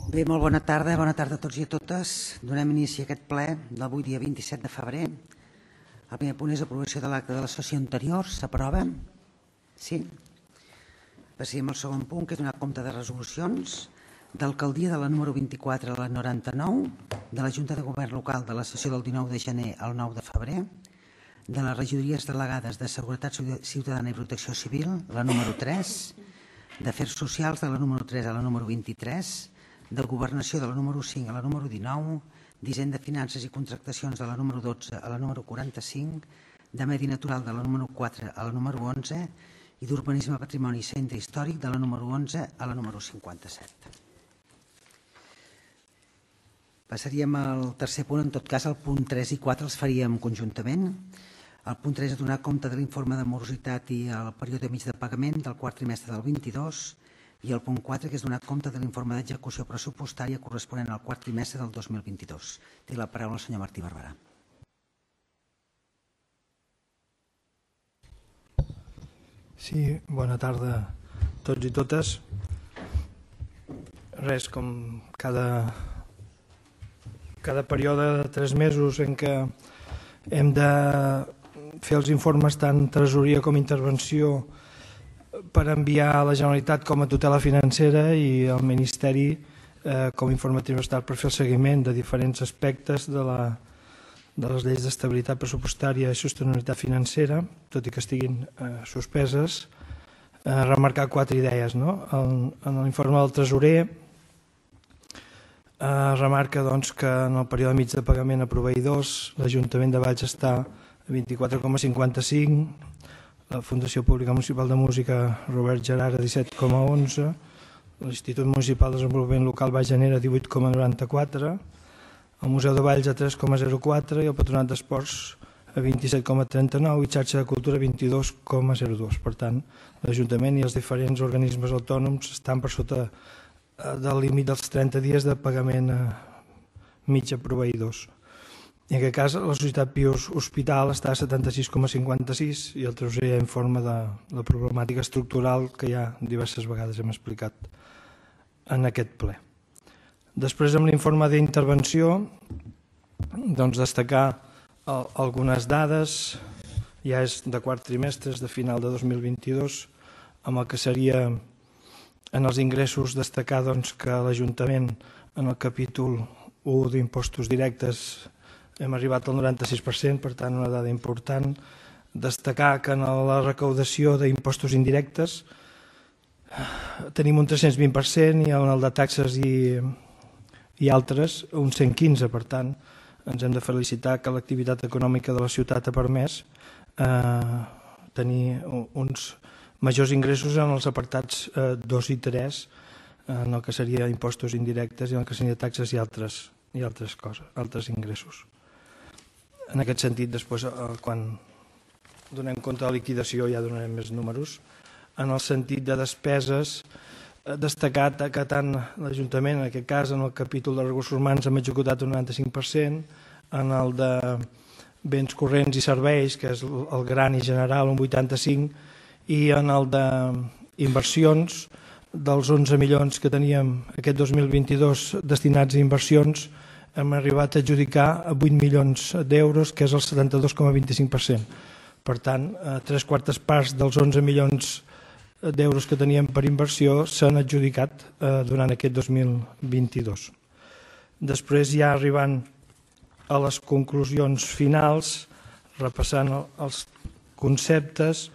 Bé, molt bona tarda a tots i a totes. Donem inici a aquest ple d'avui, dia 27 de febrer. El primer punt és aprovació de l'acte de la sessió anterior. S'aprova? Sí. Passem al segon punt, que és donar compte de resolucions d'alcaldia de la número 24 a la 99, de la Junta de Govern Local de la sessió del 19 de gener al 9 de febrer, de les regidories delegades de Seguretat Ciutadana i Protecció Civil, la número 3, d'Afers Socials de la número 3 a la número 23, de Governació de la número 5 a la número 19, d'Hisenda, Finances i Contractacions de la número 12 a la número 45, de Medi Natural de la número 4 a la número 11 i d'Urbanisme, Patrimoni i Centre Històric de la número 11 a la número 57. Passaríem al tercer punt. En tot cas, el punt 3 i 4 els faríem conjuntament. El punt 3 és donar compte de l'informe de morositat i el període mig de pagament del quart trimestre del 22 i el punt 4, que és donar compte de l'informe d'execució pressupostària corresponent al quart trimestre del 2022. Té la paraula el senyor Martí Barberà. Sí, bona tarda a tots i totes. Res, com cada període de 3 mesos en què hem de fer els informes tant tresoreria com intervenció per enviar a la Generalitat com a tutela financera i al Ministeri com a informe trimestral per fer el seguiment de diferents aspectes de les lleis d'estabilitat pressupostària i sostenibilitat financera, tot i que estiguin suspeses. Remarcar 4 idees. En l'informe del tresorer remarca que en el període mig de pagament a proveïdors l'Ajuntament de Valls està a 24,55, la Fundació Pública Municipal de Música Robert Gerard a 17,11, l'Institut Municipal de Desenvolupament Local Baix Llanera a 18,94, el Museu de Valls a 3,04 i el Patronat d'Esports a 27,39 i Xarxa de Cultura a 22,02. Per tant, l'Ajuntament i els diferents organismes autònoms estan per sota del límit dels 30 dies de pagament mig a proveïdors. En aquest cas, la Societat Pius Hospital està a 76,56 i el tresorer informa de la problemàtica estructural que ja diverses vegades hem explicat en aquest ple. Després, amb l'informe d'intervenció, destacar algunes dades, ja és de quart trimestre, de final de 2022, amb el que seria en els ingressos destacar que l'Ajuntament en el capítol 1 d'impostos directes hem arribat al 96%, per tant una dada important. Destacar que en la recaudació d'impostos indirectes tenim un 320% i en el de taxes i altres un 115%. Per tant, ens hem de felicitar que l'activitat econòmica de la ciutat ha permès tenir uns majors ingressos en els apartats 2 i 3, en el que seria impostos indirectes i en el que seria taxes i altres coses, altres ingressos. En aquest sentit, després, quan donem compte de la liquidació, ja donarem més números. En el sentit de despeses, destacat que tant l'Ajuntament, en aquest cas, en el capítol de recursos humans, hem executat un 95%, en el de béns corrents i serveis, que és el gran i general, un 85%, i en el d'inversions, dels 11 milions que teníem aquest 2022 destinats a inversions, hem arribat a adjudicar a 8 milions d'euros, que és el 72,25%. Per tant, 3/4 parts dels 11 milions d'euros que teníem per inversió s'han adjudicat durant aquest 2022. Després, ja arribant a les conclusions finals, repassant els conceptes,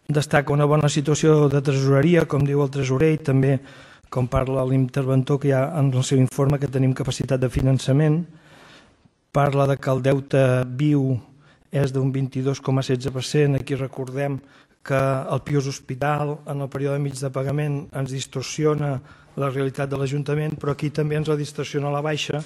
destaca una bona situació de tresoreria, com diu el tresorer, i també, com parla l'interventor, que hi ha en el seu informe que tenim capacitat de finançament. Parla que el deute viu és d'un 22,16%. Aquí recordem que el Pius Hospital, en el període mig de pagament, ens distorsiona la realitat de l'Ajuntament, però aquí també ens la distorsiona a la baixa,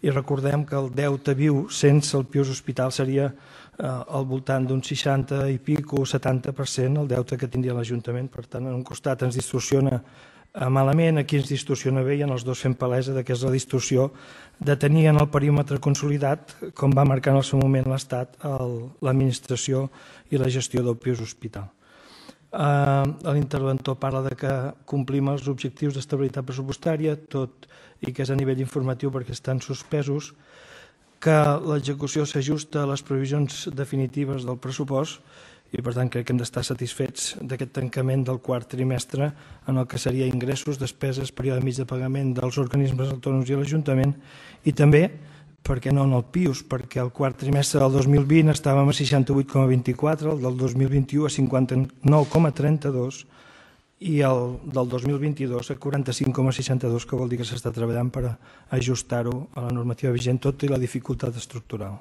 i recordem que el deute viu sense el Pius Hospital seria al voltant d'un 60 i pico o 70% el deute que tindria l'Ajuntament. Per tant, en un costat ens distorsiona malament, aquí ens distorsiona bé, i en els dos fem palesa que és la distorsió de tenir en el perímetre consolidat, com va marcar en el seu moment l'Estat, l'administració i la gestió del Pius Hospital. L'interventor parla de que complim els objectius d'estabilitat pressupostària, tot i que és a nivell informatiu perquè estan suspesos, que l'execució s'ajusta a les previsions definitives del pressupost i, per tant, crec que hem d'estar satisfets d'aquest tancament del quart trimestre en el que seria ingressos, despeses, període mig de pagament dels organismes autònoms i l'Ajuntament, i també, per què no, en el PIUS, perquè el quart trimestre del 2020 estàvem a 68,24, el del 2021 a 59,32 i el del 2022 a 45,62, que vol dir que s'està treballant per ajustar-ho a la normativa vigent, tot i la dificultat estructural.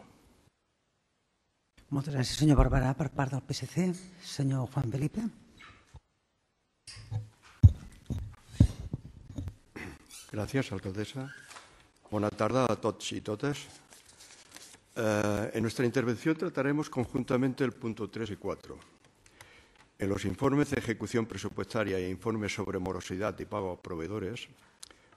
Moltes gràcies, senyor Barberà. Per part del PSC, senyor Juan Felipe. Gracias, alcaldesa. Buenas tardes a todos y todas. En nuestra intervención trataremos conjuntamente el punto 3 y 4. En los informes de ejecución presupuestaria e informes sobre morosidad y pago a proveedores,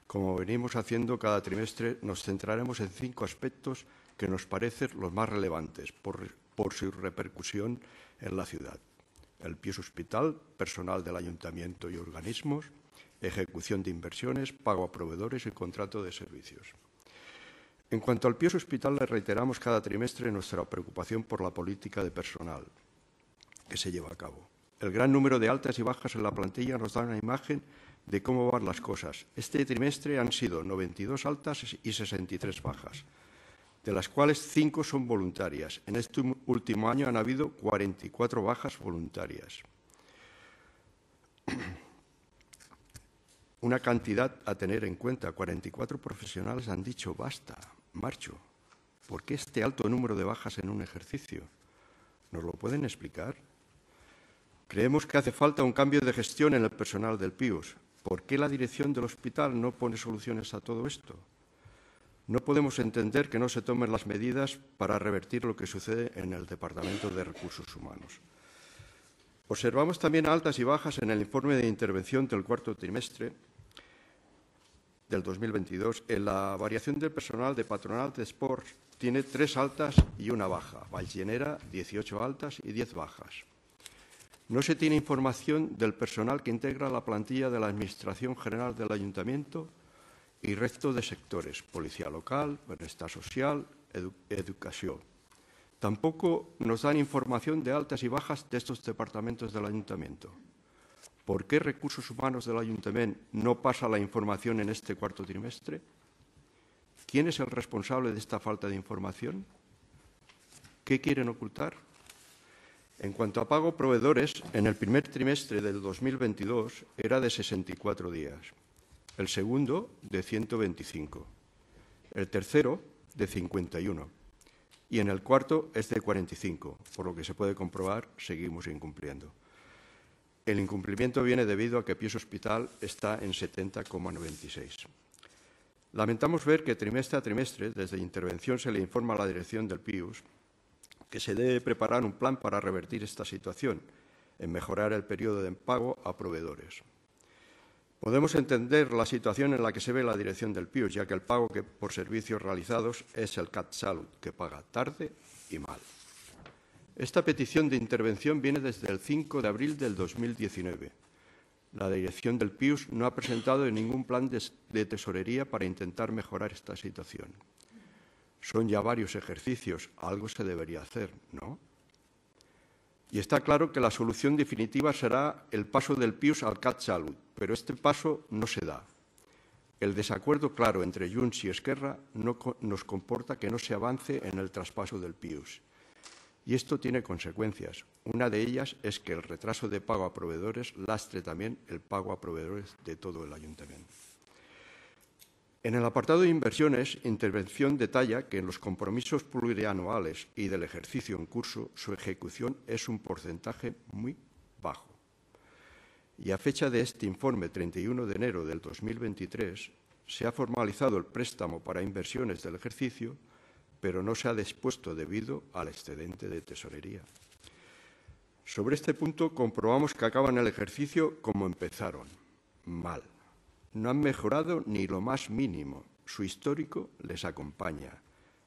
como venimos haciendo cada trimestre, nos centraremos en 5 aspectos que nos parecen los más relevantes por su repercusión en la ciudad. El PIUS hospital, personal del ayuntamiento y organismos, ejecución de inversiones, pago a proveedores y contrato de servicios. En cuanto al PIUS hospital, le reiteramos cada trimestre nuestra preocupación por la política de personal que se lleva a cabo. El gran número de altas y bajas en la plantilla nos da una imagen de cómo van las cosas. Este trimestre han sido 92 altas y 63 bajas, de las cuales 5 son voluntarias. En este último año han habido 44 bajas voluntarias. Una cantidad a tener en cuenta. 44 profesionales han dicho basta, marcho. ¿Por qué este alto número de bajas en un ejercicio? ¿Nos lo pueden explicar? Creemos que hace falta un cambio de gestión en el personal del PIUS. ¿Por qué la dirección del hospital no pone soluciones a todo esto? No podemos entender que no se tomen las medidas para revertir lo que sucede en el Departamento de Recursos Humanos. Observamos también altas y bajas en el informe de intervención del cuarto trimestre del 2022. En la variación del personal de Patronal de Sports tiene 3 altas y 1 baja. Vallenera, 18 altas y 10 bajas. No se tiene información del personal que integra la plantilla de la Administración General del Ayuntamiento y resto de sectores, policía local, bienestar social, educación. Tampoco nos dan información de altas y bajas de estos departamentos del Ayuntamiento. ¿Por qué Recursos Humanos del Ayuntamiento no pasa la información en este cuarto trimestre? ¿Quién es el responsable de esta falta de información? ¿Qué quieren ocultar? En cuanto a pago proveedores, en el primer trimestre del 2022 era de 64 días, el segundo de 125, el tercero de 51 y en el cuarto es de 45, por lo que se puede comprobar, seguimos incumpliendo. El incumplimiento viene debido a que PIUS Hospital está en 70,96. Lamentamos ver que trimestre a trimestre, desde intervención, se le informa a la dirección del PIUS que se debe preparar un plan para revertir esta situación, en mejorar el periodo de pago a proveedores. Podemos entender la situación en la que se ve la dirección del PIUS, ya que el pago por servicios realizados es el CatSalut, que paga tarde y mal. Esta petición de intervención viene desde el 5 de abril del 2019. La dirección del PIUS no ha presentado ningún plan de tesorería para intentar mejorar esta situación. Son ya varios ejercicios, algo se debería hacer, ¿no? Y está claro que la solución definitiva será el paso del PIUS al CatSalut, pero este paso no se da. El desacuerdo claro entre Junts y Esquerra nos comporta que no se avance en el traspaso del PIUS. Y esto tiene consecuencias. Una de ellas es que el retraso de pago a proveedores lastre también el pago a proveedores de todo el ayuntamiento. En el apartado de inversiones, intervención detalla que en los compromisos plurianuales y del ejercicio en curso, su ejecución es un porcentaje muy bajo. Y a fecha de este informe, 31 de enero del 2023, se ha formalizado el préstamo para inversiones del ejercicio, pero no se ha dispuesto debido al excedente de tesorería. Sobre este punto comprobamos que acaban el ejercicio como empezaron, mal. No han mejorado ni lo más mínimo. Su histórico les acompaña.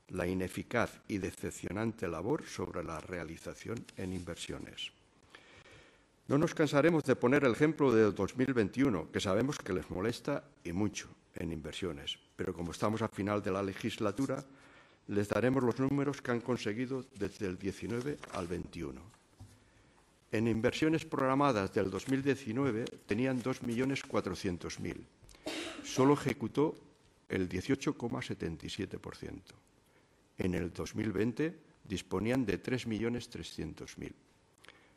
La ineficaz y decepcionante labor sobre la realización en inversiones. No nos cansaremos de poner el ejemplo del 2021, que sabemos que les molesta y mucho en inversiones, pero como estamos a final de la legislatura, les daremos los números que han conseguido desde el 19 al 21. En inversiones programadas del 2019 tenían 2.400.000. Solo ejecutó el 18,77%. En el 2020 disponían de 3.300.000.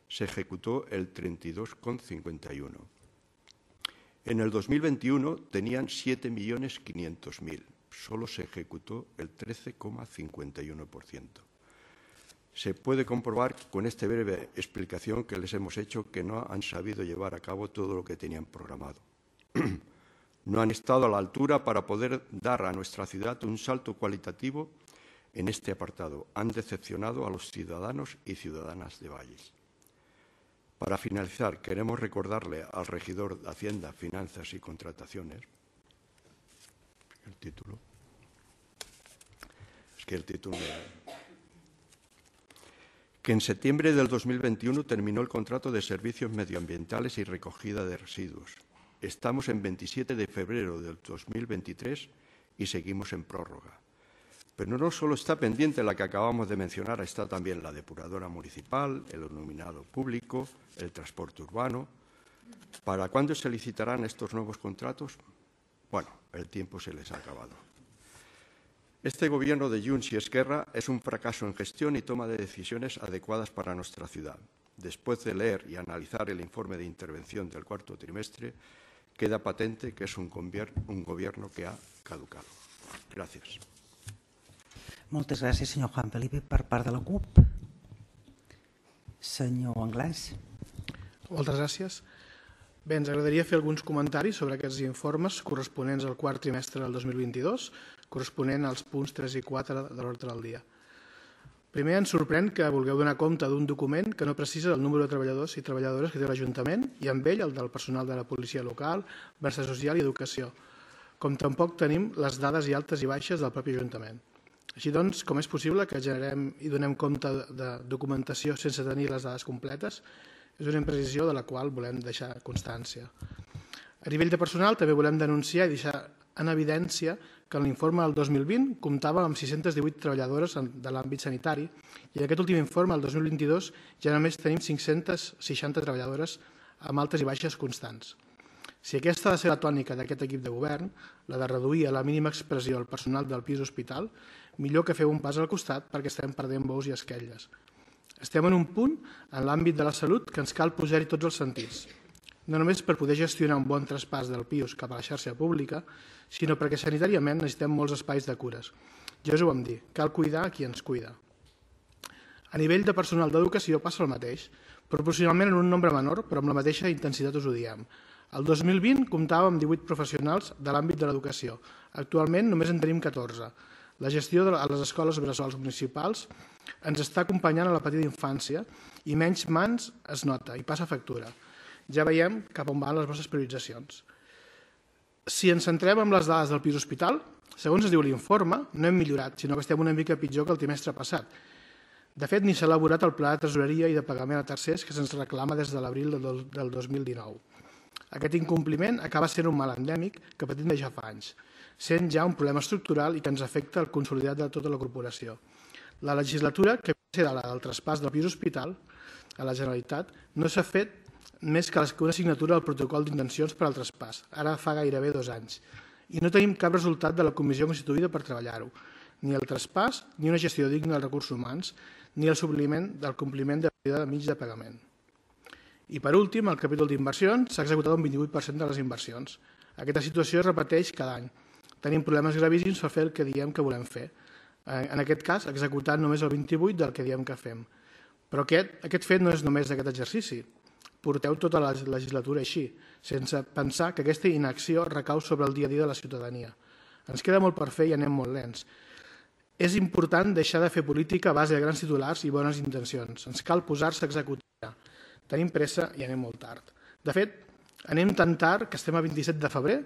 Se ejecutó el 32,51%. En el 2021 tenían 7.500.000. Solo se ejecutó el 13,51%. Se puede comprobar con esta breve explicación que les hemos hecho que no han sabido llevar a cabo todo lo que tenían programado. No han estado a la altura para poder dar a nuestra ciudad un salto cualitativo en este apartado. Han decepcionado a los ciudadanos y ciudadanas de Valles. Para finalizar, queremos recordarle al regidor de Hacienda, Finanzas y Contrataciones, el título, que en septiembre del 2021 terminó el contrato de servicios medioambientales y recogida de residuos. Estamos en 27 de febrero del 2023 y seguimos en prórroga. Pero no solo está pendiente la que acabamos de mencionar, está también la depuradora municipal, el iluminado público, el transporte urbano. ¿Para cuándo se licitarán estos nuevos contratos? Bueno, el tiempo se les ha acabado. Este gobierno de Junts y Esquerra es un fracaso en gestión y toma de decisiones adecuadas para nuestra ciudad. Después de leer y analizar el informe de intervención del cuarto trimestre, queda patente que es un gobierno que ha caducado. Gràcies. Moltes gràcies, senyor Juan Felipe. Per part de la CUP, senyor Anglès. Moltes gràcies. Bé, ens agradaria fer alguns comentaris sobre aquests informes corresponents al quart trimestre del 2022, corresponent als punts 3 i 4 de l'ordre del dia. Primer, ens sorprèn que vulgueu donar compte d'un document que no precisa el número de treballadors i treballadores que té l'Ajuntament i amb ell el del personal de la policia local, benestar social i educació, com tampoc tenim les dades i altes i baixes del propi Ajuntament. Així doncs, com és possible que generem i donem compte de documentació sense tenir les dades completes? És una imprecisió de la qual volem deixar constància. A nivell de personal també volem denunciar i deixar en evidència que en l'informe del 2020 comptava amb 618 treballadores de l'àmbit sanitari i en aquest últim informe, el 2022, ja només tenim 560 treballadores amb altes i baixes constants. Si aquesta ha de ser la tònica d'aquest equip de govern, la de reduir a la mínima expressió el personal del pis hospital, millor que feu un pas al costat perquè estem perdent bous i esquelles. Estem en un punt en l'àmbit de la salut que ens cal posar-hi tots els sentits, no només per poder gestionar un bon traspàs del PIUS cap a la xarxa pública, sinó perquè sanitàriament necessitem molts espais de cures. Ja us ho vam dir, cal cuidar qui ens cuida. A nivell de personal d'educació passa el mateix, proporcionalment en un nombre menor, però amb la mateixa intensitat us ho diem. El 2020 comptàvem amb 18 professionals de l'àmbit de l'educació. Actualment només en tenim 14. La gestió a les escoles bressols municipals ens està acompanyant a la petita infància i menys mans es nota i passa factura. Ja veiem cap on van les vostres prioritzacions. Si ens centrem en les dades del pis hospital, segons es diu l'informe, no hem millorat, sinó que estem una mica pitjor que el trimestre passat. De fet, ni s'ha elaborat el pla de tresoreria i de pagament a tercers que se'ns reclama des de l'abril del 2019. Aquest incompliment acaba sent un mal endèmic que patim de ja fa anys, sent ja un problema estructural i que ens afecta el consolidat de tota la corporació. La legislatura, que va ser la del traspàs del pis hospital a la Generalitat, no s'ha fet més que una signatura del protocol d'intencions per al traspàs, ara fa gairebé 2 anys, i no tenim cap resultat de la comissió constituïda per treballar-ho, ni el traspàs, ni una gestió digna dels recursos humans, ni el supliment del compliment de període mig de pagament. I per últim, el capítol d'inversions s'ha executat un 28% de les inversions. Aquesta situació es repeteix cada any. Tenim problemes gravíssims per fer el que diem que volem fer. En aquest cas, executant només el 28% del que diem que fem. Però aquest fet no és només d'aquest exercici. Porteu tota la legislatura així, sense pensar que aquesta inacció recau sobre el dia a dia de la ciutadania. Ens queda molt per fer i anem molt lents. És important deixar de fer política a base de grans titulars i bones intencions. Ens cal posar-se a executar. Tenim pressa i anem molt tard. De fet, anem tan tard que estem a 27 de febrer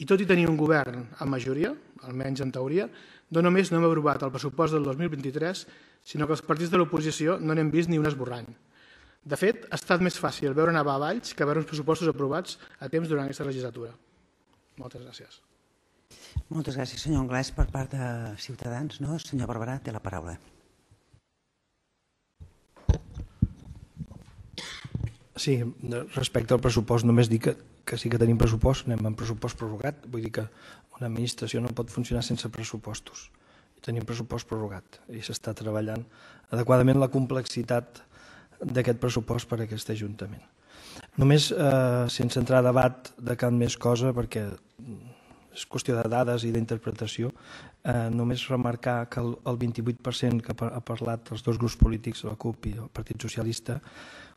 i tot i tenir un govern amb majoria, almenys en teoria, no només no hem aprovat el pressupost del 2023, sinó que els partits de l'oposició no n'hem vist ni un esborrany. De fet, ha estat més fàcil veure nevar a Valls que veure uns pressupostos aprovats a temps durant aquesta legislatura. Moltes gràcies. Moltes gràcies, senyor Anglès. Per part de Ciutadans, no? Senyor Barberà, té la paraula. Sí, respecte al pressupost, només dir que sí que tenim pressupost, anem amb pressupost prorrogat, vull dir que una administració no pot funcionar sense pressupostos. Tenim pressupost prorrogat i s'està treballant adequadament la complexitat d'aquest pressupost per a aquest Ajuntament. Només, sense entrar a debat de cap més cosa, perquè és qüestió de dades i d'interpretació, només remarcar que el 28% que ha parlat els dos grups polítics, la CUP i el Partit Socialista,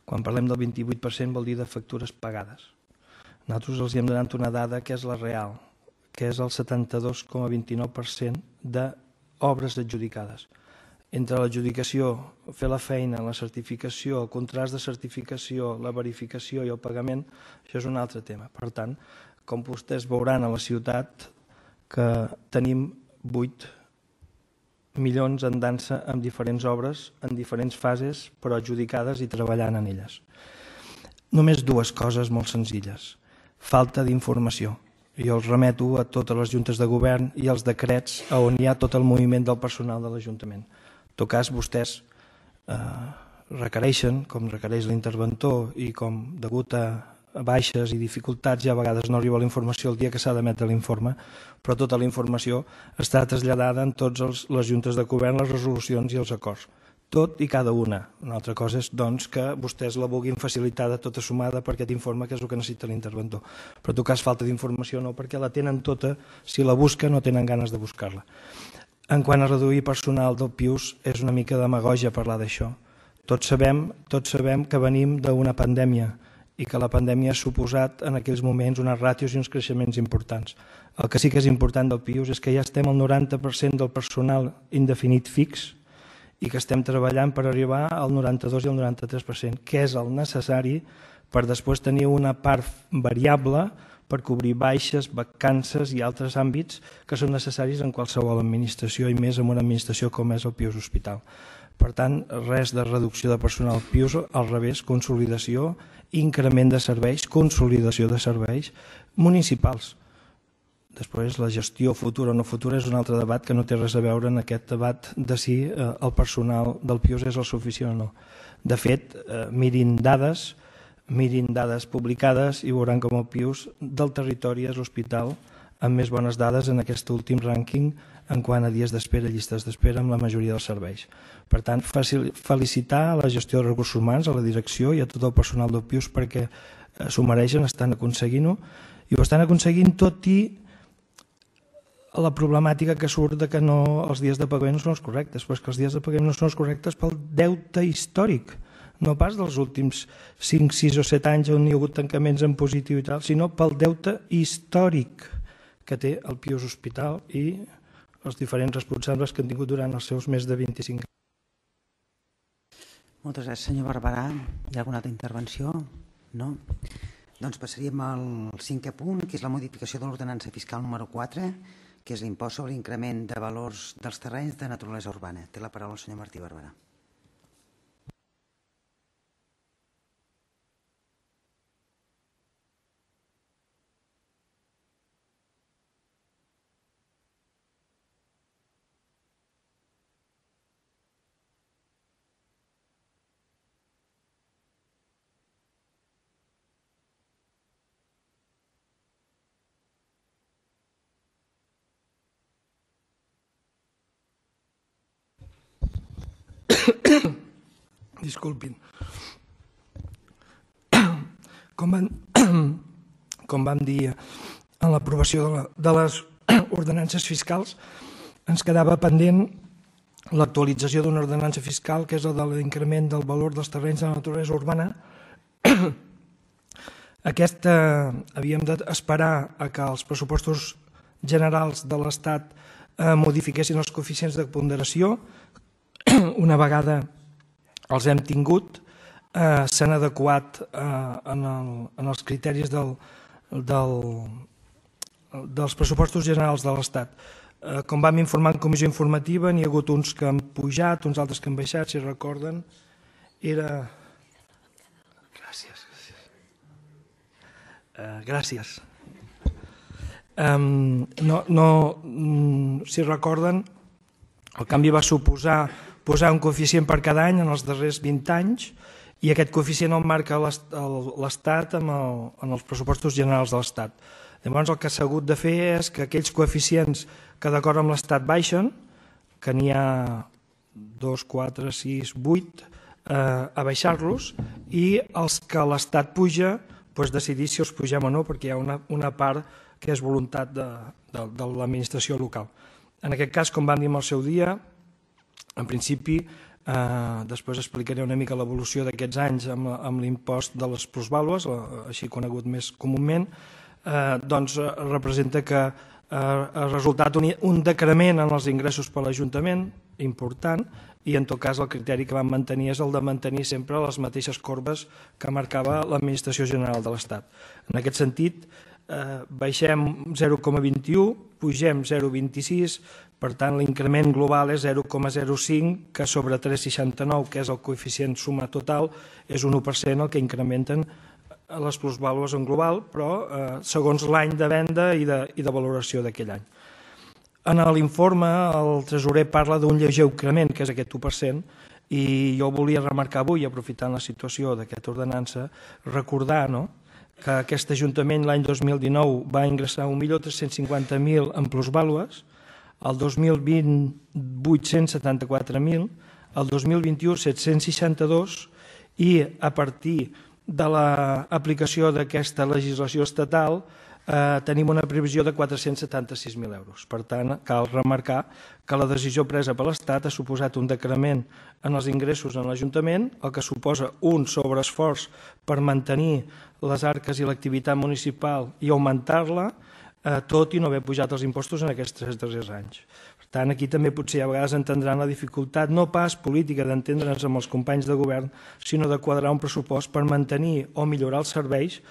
quan parlem del 28% vol dir de factures pagades. Nosaltres els hem donat una dada que és la real, que és el 72,29% d'obres adjudicades. Entre l'adjudicació, fer la feina, la certificació, el contrast de certificació, la verificació i el pagament, això és un altre tema. Per tant, com vostès veuran a la ciutat, que tenim 8 milions en dansa amb diferents obres, en diferents fases, però adjudicades i treballant en elles. Només dues coses molt senzilles. Falta d'informació. Jo els remeto a totes les juntes de govern i als decrets on hi ha tot el moviment del personal de l'Ajuntament. En tot cas, vostès requereixen, com requereix l'interventor i com degut a baixes i dificultats i a vegades no arriba la informació el dia que s'ha d'emetre l'informe, però tota la informació està traslladada en totes les juntes de govern, les resolucions i els acords. Tot i cada una. Una altra cosa és doncs, que vostès la vulguin facilitar de tota sumada per aquest informe, que és el que necessita l'interventor. Però en tot cas, falta d'informació no, perquè la tenen tota, si la busquen no tenen ganes de buscar-la. En quant a reduir personal del PIUS, és una mica demagògia parlar d'això. Tots sabem que venim d'una pandèmia i que la pandèmia ha suposat en aquells moments unes ràtios i uns creixements importants. El que sí que és important del PIUS és que ja estem al 90% del personal indefinit fix i que estem treballant per arribar al 92 i al 93%, que és el necessari per després tenir una part variable per cobrir baixes, vacances i altres àmbits que són necessaris en qualsevol administració i més en una administració com és el PIUS Hospital. Per tant, res de reducció de personal PIUS, al revés, consolidació, increment de serveis, consolidació de serveis municipals. Després, la gestió futura o no futura és un altre debat que no té res a veure en aquest debat de si el personal del PIUS és el suficient o no. De fet, mirin dades publicades i veuran com el PIUS del territori és l'hospital amb més bones dades en aquest últim rànquing en quant a dies d'espera i llistes d'espera amb la majoria dels serveis. Per tant, felicitar a la gestió de recursos humans, a la direcció i a tot el personal del PIUS perquè s'ho mereixen, estan aconseguint-ho i ho estan aconseguint tot i la problemàtica que surt de que els dies de pagament no són els correctes, però és que els dies de pagament no són els correctes pel deute històric, no pas dels últims 5, 6 o 7 anys on hi ha hagut tancaments en positiu i tal, sinó pel deute històric que té el PIUS Hospital i els diferents responsables que han tingut durant els seus més de 25 anys. Moltes gràcies, senyor Barberà. Hi ha alguna altra intervenció? No? Doncs passaríem al 5è punt, que és la modificació de l'ordenança fiscal número 4, que és l'impost sobre l'increment de valors dels terrenys de naturalesa urbana. Té la paraula el senyor Martí Barberà. Disculpin. Com vam dir en l'aprovació de les ordenances fiscals, ens quedava pendent l'actualització d'una ordenança fiscal, que és la de l'increment del valor dels terrenys de la naturalesa urbana. Aquesta havíem d'esperar a que els pressupostos generals de l'Estat modifiquessin els coeficients de ponderació. Una vegada els hem tingut, s'han adequat en els criteris dels pressupostos generals de l'Estat. Com vam informar en comissió informativa, n'hi ha hagut uns que han pujat, uns altres que han baixat, si recorden. Gràcies. Gràcies. Si recorden, el canvi va suposar posar un coeficient per cada any en els darrers 20 anys i aquest coeficient el marca l'Estat en els pressupostos generals de l'Estat. Llavors el que s'ha hagut de fer és que aquells coeficients que d'acord amb l'Estat baixen, que n'hi ha 2, 4, 6, 8, a baixar-los, i els que l'Estat puja, decidir si els pugem o no, perquè hi ha una part que és voluntat de l'administració local. En aquest cas, com vam dir en el seu dia, en principi, després explicaré una mica l'evolució d'aquests anys amb l'impost de les plusvàlues, així conegut més comúment, doncs representa que ha resultat un decrement en els ingressos per l'Ajuntament important i en tot cas el criteri que vam mantenir és el de mantenir sempre les mateixes corbes que marcava l'Administració General de l'Estat. En aquest sentit, baixem 0,21, pugem 0,26, per tant l'increment global és 0,05, que sobre 3,69, que és el coeficient suma total, és un 1% el que incrementen les plusvàlues en global, però segons l'any de venda i de valoració d'aquell any. En l'informe el tresorer parla d'un lleuger increment, que és aquest 1%, i jo volia remarcar avui, aprofitant la situació d'aquesta ordenança, recordar que aquest Ajuntament l'any 2019 va ingressar 1.350.000 en plusvàlues, el 2020 874.000, el 2021 762 i a partir de l'aplicació d'aquesta legislació estatal tenim una previsió de 476.000 euros. Per tant, cal remarcar que la decisió presa per l'Estat ha suposat un decrement en els ingressos en l'Ajuntament, el que suposa un sobreesforç per mantenir les arques i l'activitat municipal i augmentar-la, tot i no haver pujat els impostos en aquests 3 darrers anys. Per tant, aquí també potser a vegades entendran la dificultat, no pas política d'entendre'ns amb els companys de govern, sinó de quadrar un pressupost per mantenir o millorar els serveis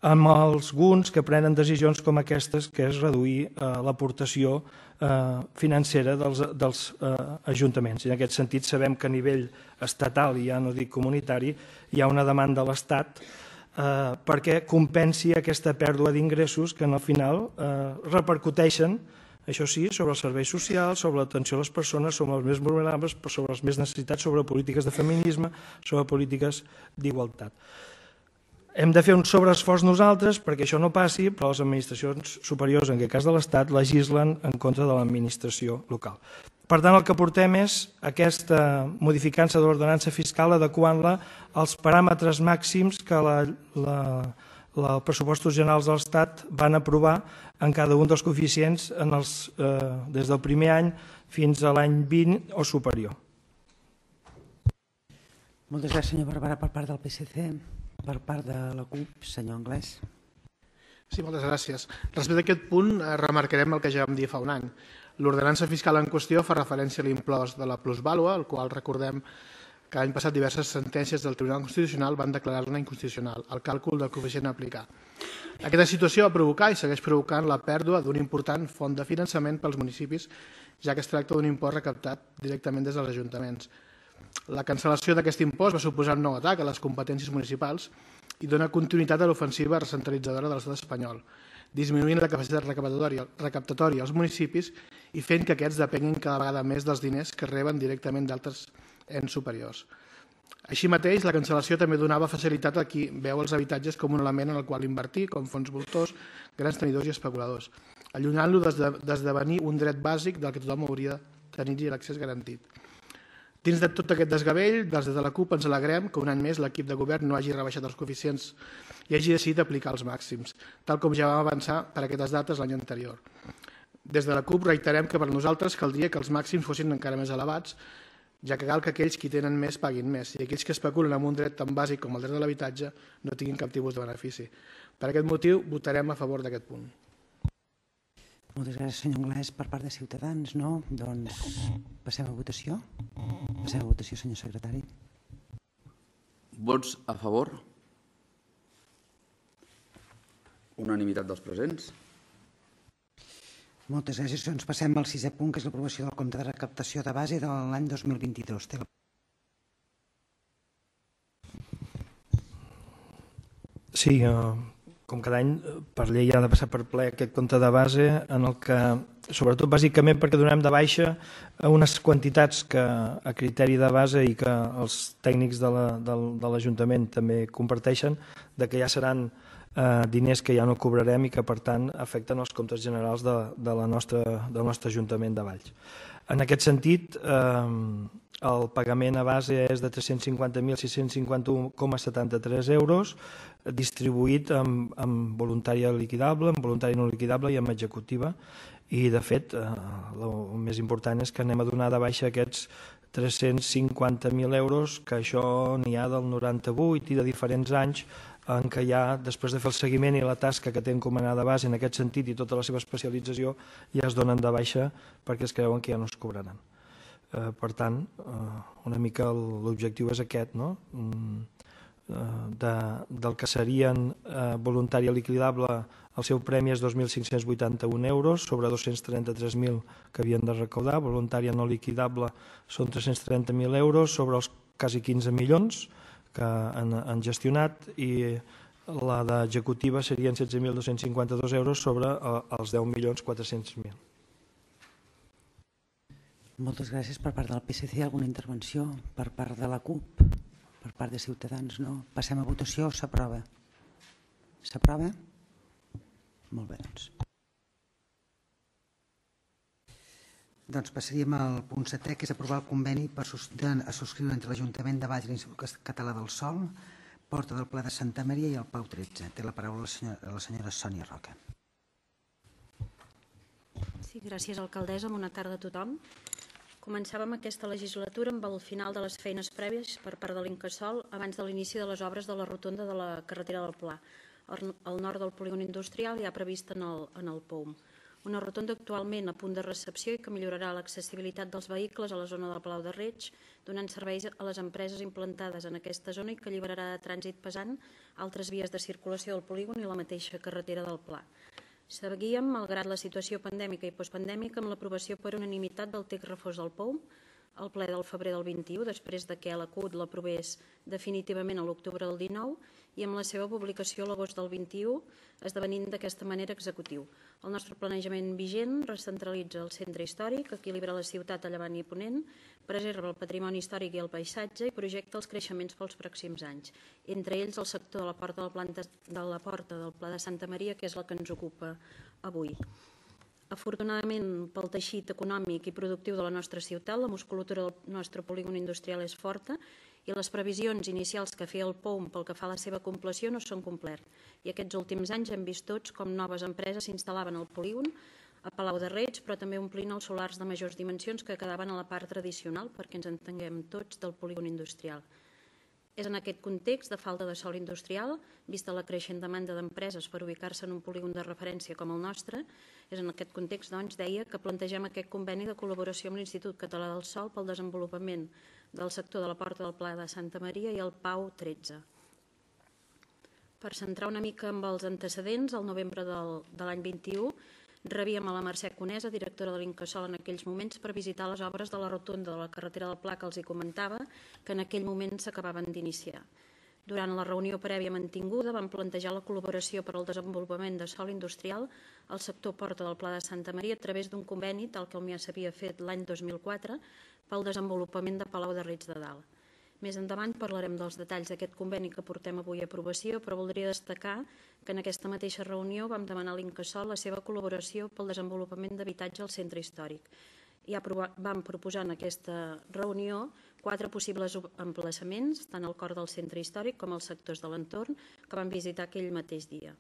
amb alguns que prenen decisions com aquestes, que és reduir l'aportació financera dels ajuntaments. En aquest sentit, sabem que a nivell estatal, i ja no dic comunitari, hi ha una demanda a l'Estat perquè compensi aquesta pèrdua d'ingressos que al final repercuteixen, això sí, sobre els serveis socials, sobre l'atenció a les persones, sobre els més vulnerables, sobre les més necessitats, sobre polítiques de feminisme, sobre polítiques d'igualtat. Hem de fer un sobreesforç nosaltres perquè això no passi, però les administracions superiors, en aquest cas de l'Estat, legislen en contra de l'administració local. Per tant, el que portem és aquesta modificança de l'ordenança fiscal adequant-la als paràmetres màxims que els pressupostos generals de l'Estat van aprovar en cada un dels coeficients des del primer any fins a l'any 20 o superior. Moltes gràcies, senyor Barberà, per part del PSC. Per part de la CUP, senyor Anglès. Sí, moltes gràcies. Respecte a aquest punt, remarcarem el que ja vam dir fa un any. L'ordenança fiscal en qüestió fa referència a l'impost de la plusvàlua, el qual recordem que l'any passat diverses sentències del Tribunal Constitucional van declarar-ne inconstitucional, el càlcul del coeficient a aplicar. Aquesta situació va provocar i segueix provocant la pèrdua d'una important font de finançament pels municipis, ja que es tracta d'un impost recaptat directament des dels ajuntaments. La cancel·lació d'aquest impost va suposar un nou atac a les competències municipals i dona continuïtat a l'ofensiva recentralitzadora de l'estat espanyol, disminuint la capacitat recaptatòria als municipis i fent que aquests depenguin cada vegada més dels diners que reben directament d'altres ens superiors. Així mateix, la cancel·lació també donava facilitat a qui veu els habitatges com un element en el qual invertir, com fons voltors, grans tenidors i especuladors, allunyant-lo d'esdevenir un dret bàsic del que tothom hauria de tenir l'accés garantit. Dins de tot aquest desgavell, des de la CUP ens alegrem que un any més l'equip de govern no hagi rebaixat els coeficients i hagi decidit aplicar els màxims, tal com ja vam avançar per aquestes dates l'any anterior. Des de la CUP reiterem que per nosaltres caldria que els màxims fossin encara més elevats, ja que cal que aquells qui tenen més paguin més i aquells que especulen amb un dret tan bàsic com el dret de l'habitatge no tinguin cap tipus de benefici. Per aquest motiu, votarem a favor d'aquest punt. Moltes gràcies, senyor Anglès. Per part de Ciutadans, no? Doncs passem a votació. Passem a votació, senyor secretari. Vots a favor? Unanimitat dels presents? Moltes gràcies. Doncs passem al 6è punt, que és l'aprovació del compte de recaptació de base de l'any 2022. Sí, com cada any, per llei ha de passar per ple aquest compte de base, en el que, sobretot bàsicament perquè donem de baixa unes quantitats que a criteri de base i que els tècnics de l'Ajuntament també comparteixen, de que ja seran diners que ja no cobrarem i que per tant afecten els comptes generals del nostre Ajuntament de Valls. En aquest sentit, el pagament a base és de 350.651,73 euros, distribuït en voluntària liquidable, en voluntària no liquidable i en executiva. I, de fet, el més important és que anem a donar de baixa aquests 350.000 euros, que això n'hi ha del 98 i de diferents anys, en què ja, després de fer el seguiment i la tasca que té encomanada base en aquest sentit i tota la seva especialització, ja es donen de baixa perquè es creuen que ja no es cobraran. Per tant, una mica l'objectiu és aquest, no? Del que serien voluntària liquidable, el seu premi és 2.581 euros sobre 233.000 que havien de recaudar, voluntària no liquidable són 330.000 euros sobre els quasi 15 milions que han gestionat i la d'executiva serien 16.252 euros sobre els 10.400.000. Moltes gràcies. Per part del PSC, alguna intervenció? Per part de la CUP? Per part de Ciutadans? No. Passem a votació. S'aprova? S'aprova? Molt bé, doncs. Doncs passaríem al punt 7è, que és aprovar el conveni a subscriure entre l'Ajuntament de Valls i l'Institut Català del Sòl, Porta del Pla de Santa Maria i el Pau 13. Té la paraula la senyora Sònia Roca. Sí, gràcies, alcaldessa. Bona tarda a tothom. Començàvem aquesta legislatura amb el final de les feines prèvies per part de l'Incasòl abans de l'inici de les obres de la rotonda de la carretera del Pla, al nord del polígon industrial ja previst en el POUM. Una rotonda actualment a punt de recepció i que millorarà l'accessibilitat dels vehicles a la zona del Palau de Reig, donant serveis a les empreses implantades en aquesta zona i que alliberarà de trànsit pesant altres vies de circulació del polígon i la mateixa carretera del Pla. Seguíem, malgrat la situació pandèmica i postpandèmica, amb l'aprovació per unanimitat del text refós del POUM al ple del febrer del 21, després que la CUT l'aprovés definitivament a l'octubre del 19 i amb la seva publicació a l'agost del 21, esdevenint d'aquesta manera executiu. El nostre planejament vigent recentralitza el centre històric, equilibra la ciutat a llevant i ponent, preserva el patrimoni històric i el paisatge i projecta els creixements pels pròxims anys, entre ells el sector de la Porta del Pla de Santa Maria, que és la que ens ocupa avui. Afortunadament, pel teixit econòmic i productiu de la nostra ciutat, la musculatura del nostre polígon industrial és forta i les previsions inicials que feia el POUM pel que fa a la seva compleció no s'han complert. I aquests últims anys hem vist tots com noves empreses s'instal·laven al polígon, a Palau de Reig, però també omplint els solars de majors dimensions que quedaven a la part tradicional, perquè ens entenguem tots, del polígon industrial. És en aquest context de falta de sòl industrial, vista la creixent demanda d'empreses per ubicar-se en un polígon de referència com el nostre, és en aquest context, doncs, deia que plantegem aquest conveni de col·laboració amb l'Institut Català del Sòl pel desenvolupament del sector de la Porta del Pla de Santa Maria i el Pau 13. Per centrar una mica amb els antecedents, al novembre de l'any 21, rebíem a la Mercè Conesa, directora de l'Incasòl en aquells moments, per visitar les obres de la rotonda de la carretera del Pla que els hi comentava, que en aquell moment s'acabaven d'iniciar. Durant la reunió prèvia mantinguda vam plantejar la col·laboració per al desenvolupament de sòl industrial al sector Porta del Pla de Santa Maria a través d'un conveni, tal com ja s'havia fet l'any 2004, pel desenvolupament de Palau de Reig de Dalt. Més endavant parlarem dels detalls d'aquest conveni que portem avui a aprovació, però voldria destacar que en aquesta mateixa reunió vam demanar a l'Incasòl la seva col·laboració pel desenvolupament d'habitatge al centre històric. Ja vam proposar en aquesta reunió 4 possibles emplaçaments, tant al cor del centre històric com als sectors de l'entorn, que vam visitar aquell mateix dia.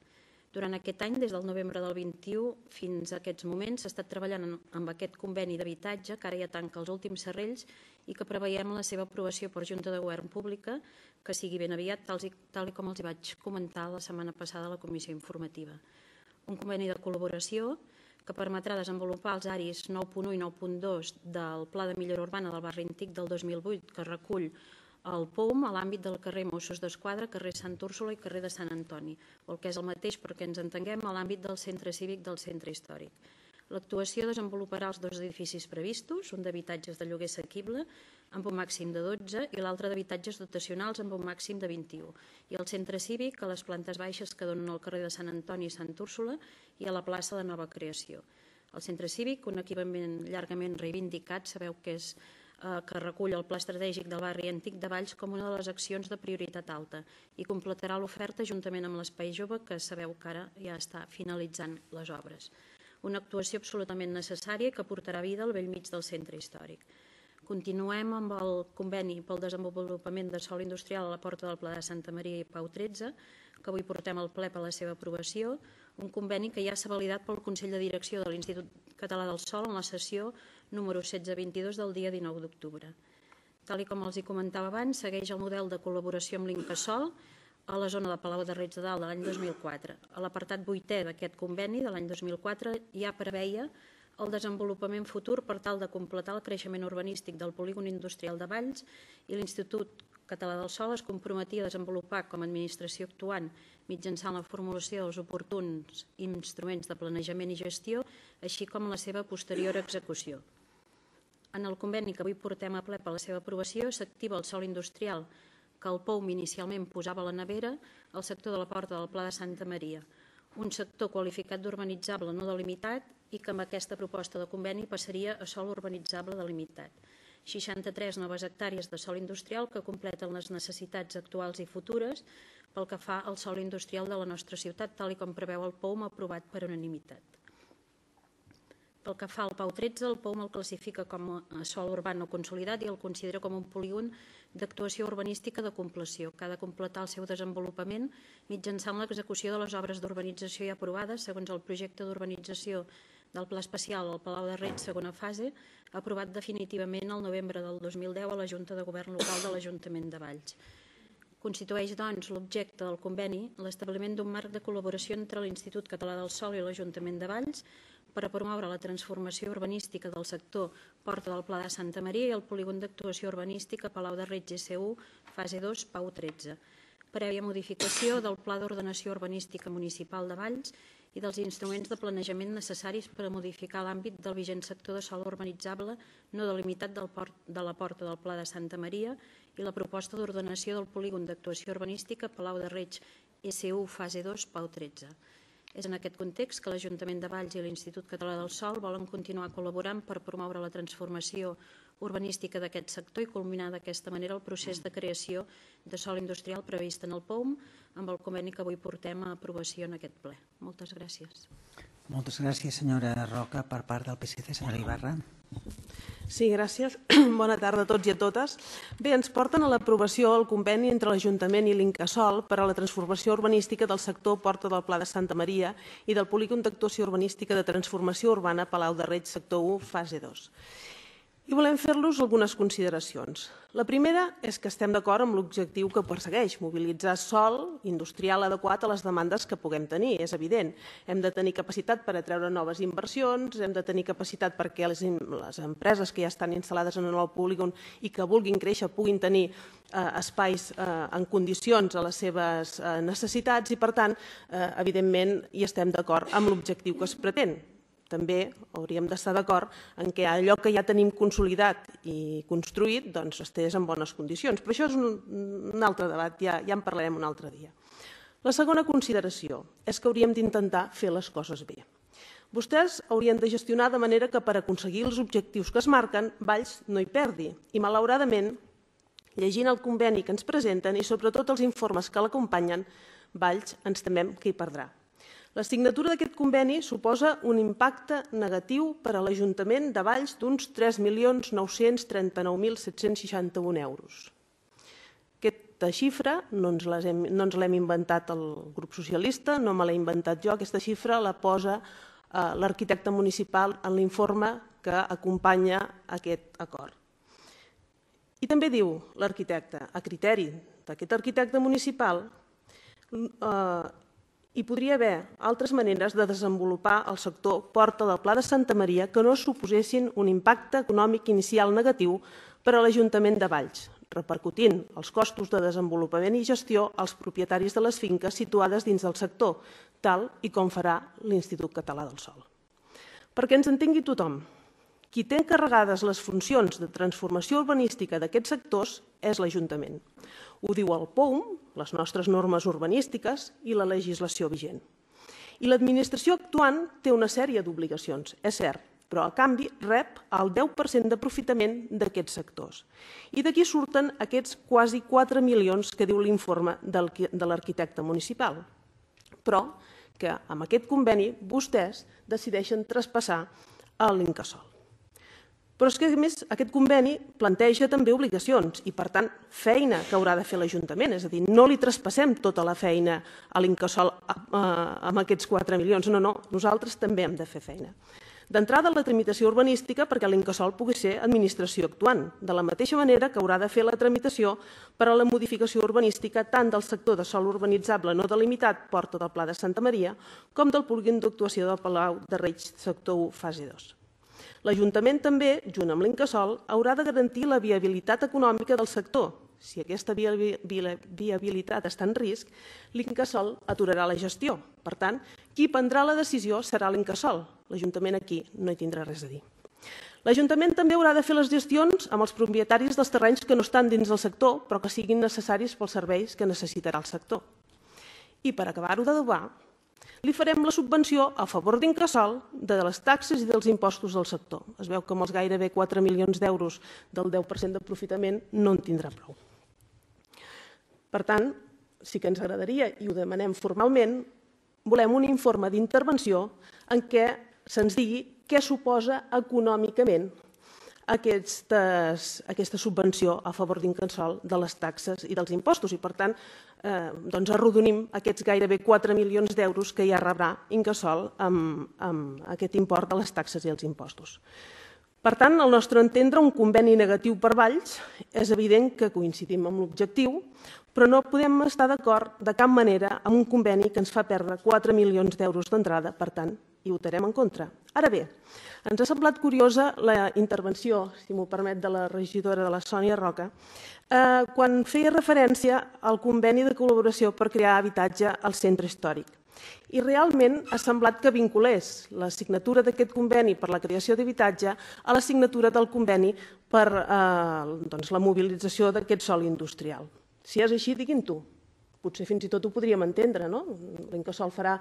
Durant aquest any, des del novembre del 21 fins a aquests moments, s'ha estat treballant amb aquest conveni d'habitatge, que ara ja tanca els últims serrells, i que preveiem la seva aprovació per Junta de Govern Pública, que sigui ben aviat, tal com els vaig comentar la setmana passada a la comissió informativa. Un conveni de col·laboració que permetrà desenvolupar els aris 9.1 i 9.2 del Pla de Millora Urbana del Barri Antic del 2008, que recull el POUM a l'àmbit del carrer Mossos d'Esquadra, carrer Sant Úrsula i carrer de Sant Antoni, o el que és el mateix perquè ens entenguem a l'àmbit del centre cívic del centre històric. L'actuació desenvoluparà els 2 edificis previstos, un d'habitatges de lloguer assequible amb un màxim de 12 i l'altre d'habitatges dotacionals amb un màxim de 21, i el centre cívic a les plantes baixes que donen al carrer de Sant Antoni i Sant Úrsula i a la plaça de Nova Creació. El centre cívic, un equipament llargament reivindicat, sabeu que és que recull el pla estratègic del barri antic de Valls com una de les accions de prioritat alta i completarà l'oferta juntament amb l'Espai Jove, que sabeu que ara ja està finalitzant les obres. Una actuació absolutament necessària que portarà vida al bell mig del centre històric. Continuem amb el conveni pel desenvolupament de sòl industrial a la Porta del Pla de Santa Maria i Pau 13, que avui portem al ple per la seva aprovació, un conveni que ja s'ha validat pel Consell de Direcció de l'Institut Català del Sòl en la sessió número 1622 del dia 19 d'octubre. Tal com els comentava abans, segueix el model de col·laboració amb l'Incasòl a la zona de Palau de Reig de Dalt de l'any 2004. A l'apartat 8è d'aquest conveni de l'any 2004 ja preveia el desenvolupament futur per tal de completar el creixement urbanístic del polígon industrial de Valls, i l'Institut Català del Sòl es comprometia a desenvolupar com a administració actuant mitjançant la formulació dels oportuns instruments de planejament i gestió, així com la seva posterior execució. En el conveni que avui portem a ple per la seva aprovació s'activa el sòl industrial que el POUM inicialment posava a la nevera al sector de la Porta del Pla de Santa Maria, un sector qualificat d'urbanitzable no delimitat i que amb aquesta proposta de conveni passaria a sòl urbanitzable delimitat. 63 noves hectàrees de sòl industrial que completen les necessitats actuals i futures pel que fa al sòl industrial de la nostra ciutat, tal com preveu el POUM aprovat per unanimitat. Pel que fa al Pau 13, el POUM el classifica com a sòl urbà no consolidat i el considera com un polígon d'actuació urbanística de compleció, que ha de completar el seu desenvolupament mitjançant l'execució de les obres d'urbanització ja aprovades segons el projecte d'urbanització del Pla Especial al Palau de Reig, segona fase, aprovat definitivament el novembre del 2010 a la Junta de Govern Local de l'Ajuntament de Valls. Constitueix, doncs, l'objecte del conveni l'establiment d'un marc de col·laboració entre l'Institut Català del Sòl i l'Ajuntament de Valls per a promoure la transformació urbanística del sector Porta del Pla de Santa Maria i el polígon d'actuació urbanística Palau de Reig GC1, fase 2, Pau 13, prèvia modificació del Pla d'Ordenació Urbanística Municipal de Valls i dels instruments de planejament necessaris per a modificar l'àmbit del vigent sector de sòl urbanitzable no delimitat de la Porta del Pla de Santa Maria i la proposta d'ordenació del polígon d'actuació urbanística Palau de Reig S1 fase 2 Pau 13. És en aquest context que l'Ajuntament de Valls i l'Institut Català del Sòl volen continuar col·laborant per promoure la transformació urbanística d'aquest sector i culminar d'aquesta manera el procés de creació de sòl industrial previst en el POUM amb el conveni que avui portem a aprovació en aquest ple. Moltes gràcies. Moltes gràcies, senyora Roca. Per part del PSC, senyora Ibarra. Sí, gràcies. Bona tarda a tots i a totes. Bé, ens porten a l'aprovació el conveni entre l'Ajuntament i l'Incasòl per a la transformació urbanística del sector Porta del Pla de Santa Maria i del polígon d'actuació urbanística de transformació urbana Palau de Reig, sector 1, fase 2. I volem fer-los algunes consideracions. La primera és que estem d'acord amb l'objectiu que persegueix, mobilitzar sòl industrial adequat a les demandes que puguem tenir, és evident. Hem de tenir capacitat per atreure noves inversions, hem de tenir capacitat perquè les empreses que ja estan instal·lades en el polígon i que vulguin créixer puguin tenir espais en condicions a les seves necessitats i, per tant, evidentment, hi estem d'acord amb l'objectiu que es pretén. També hauríem d'estar d'acord en què allò que ja tenim consolidat i construït doncs estigués en bones condicions. Però això és un altre debat, ja en parlarem un altre dia. La segona consideració és que hauríem d'intentar fer les coses bé. Vostès haurien de gestionar de manera que per aconseguir els objectius que es marquen, Valls no hi perdi. I malauradament, llegint el conveni que ens presenten i sobretot els informes que l'acompanyen, Valls ens temem que hi perdrà. La signatura d'aquest conveni suposa un impacte negatiu per a l'Ajuntament de Valls d'uns 3.939.761 euros. Aquesta xifra no ens l'hem inventat el grup socialista, no me l'he inventat jo, aquesta xifra la posa l'arquitecte municipal en l'informe que acompanya aquest acord. I també diu l'arquitecte, a criteri d'aquest arquitecte municipal, hi podria haver altres maneres de desenvolupar el sector Porta del Pla de Santa Maria que no suposessin un impacte econòmic inicial negatiu per a l'Ajuntament de Valls, repercutint els costos de desenvolupament i gestió als propietaris de les finques situades dins del sector, tal i com farà l'Institut Català del Sòl. Perquè ens entengui tothom, qui té encarregades les funcions de transformació urbanística d'aquests sectors és l'Ajuntament. Ho diu el POUM, les nostres normes urbanístiques i la legislació vigent. I l'administració actuant té una sèrie d'obligacions, és cert, però a canvi rep el 10% d'aprofitament d'aquests sectors. I d'aquí surten aquests quasi 4 milions que diu l'informe de l'arquitecte municipal. Però que amb aquest conveni vostès decideixen traspassar a l'Incasòl. Però és que, a més, aquest conveni planteja també obligacions i, per tant, feina que haurà de fer l'Ajuntament. És a dir, no li traspassem tota la feina a l'Incasòl amb aquests 4 milions. No, no, nosaltres també hem de fer feina. D'entrada, la tramitació urbanística perquè l'Incasòl pugui ser administració actuant, de la mateixa manera que haurà de fer la tramitació per a la modificació urbanística tant del sector de sòl urbanitzable no delimitat, Porta del Pla de Santa Maria, com del polígon d'actuació del Palau de Reig, sector 1, fase 2. L'Ajuntament també, junt amb l'Incasòl, haurà de garantir la viabilitat econòmica del sector. Si aquesta viabilitat està en risc, l'Incasòl aturarà la gestió. Per tant, qui prendrà la decisió serà l'Incasòl. L'Ajuntament aquí no hi tindrà res a dir. L'Ajuntament també haurà de fer les gestions amb els propietaris dels terrenys que no estan dins del sector, però que siguin necessaris pels serveis que necessitarà el sector. I per acabar-ho d'adobar, li farem la subvenció a favor d'Incasòl de les taxes i dels impostos del sector. Es veu que amb els gairebé 4 milions d'euros del 10% d'aprofitament no en tindrà prou. Per tant, sí que ens agradaria, i ho demanem formalment, volem un informe d'intervenció en què se'ns digui què suposa econòmicament aquesta subvenció a favor d'Incasòl de les taxes i dels impostos. I, per tant, arrodonim aquests gairebé 4 milions d'euros que ja rebrà Incasòl amb aquest import de les taxes i els impostos. Per tant, al nostre entendre, un conveni negatiu per Valls és evident que coincidim amb l'objectiu, però no podem estar d'acord de cap manera amb un conveni que ens fa perdre 4 milions d'euros d'entrada, per tant, hi votarem en contra. Ara bé, ens ha semblat curiosa la intervenció, si m'ho permet, de la regidora de la Sònia Roca, quan feia referència al conveni de col·laboració per crear habitatge al centre històric. I realment ha semblat que vinculés la signatura d'aquest conveni per la creació d'habitatge a la signatura del conveni per la mobilització d'aquest sòl industrial. Si és així, diguin-ho. Potser fins i tot ho podríem entendre, no? L'Incasòl farà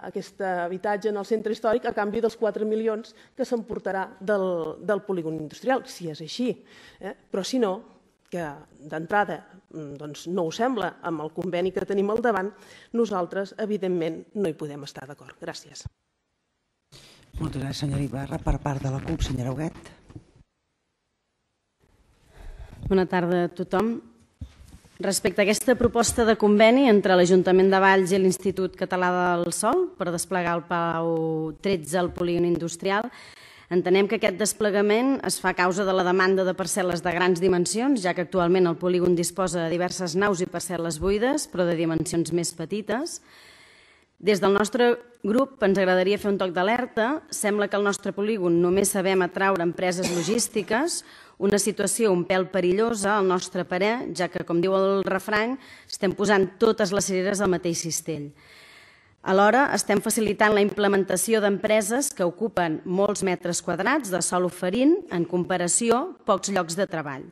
aquest habitatge en el centre històric a canvi dels 4 milions que s'emportarà del polígon industrial, si és així. Però si no, que d'entrada no ho sembla amb el conveni que tenim al davant, nosaltres, evidentment, no hi podem estar d'acord. Gràcies. Moltes gràcies, senyora Ibarra. Per part de la CUP, senyora Huguet. Bona tarda a tothom. Respecte a aquesta proposta de conveni entre l'Ajuntament de Valls i l'Institut Català del Sòl per desplegar el Palau 13 al polígon industrial, entenem que aquest desplegament es fa a causa de la demanda de parcel·les de grans dimensions, ja que actualment el polígon disposa de diverses naus i parcel·les buides, però de dimensions més petites. Des del nostre grup ens agradaria fer un toc d'alerta. Sembla que al nostre polígon només sabem atraure empreses logístiques, una situació un pèl perillosa al nostre parer, ja que, com diu el refrany, estem posant totes les cireres al mateix cistell. Alhora, estem facilitant la implementació d'empreses que ocupen molts metres quadrats de sòl oferint, en comparació, pocs llocs de treball.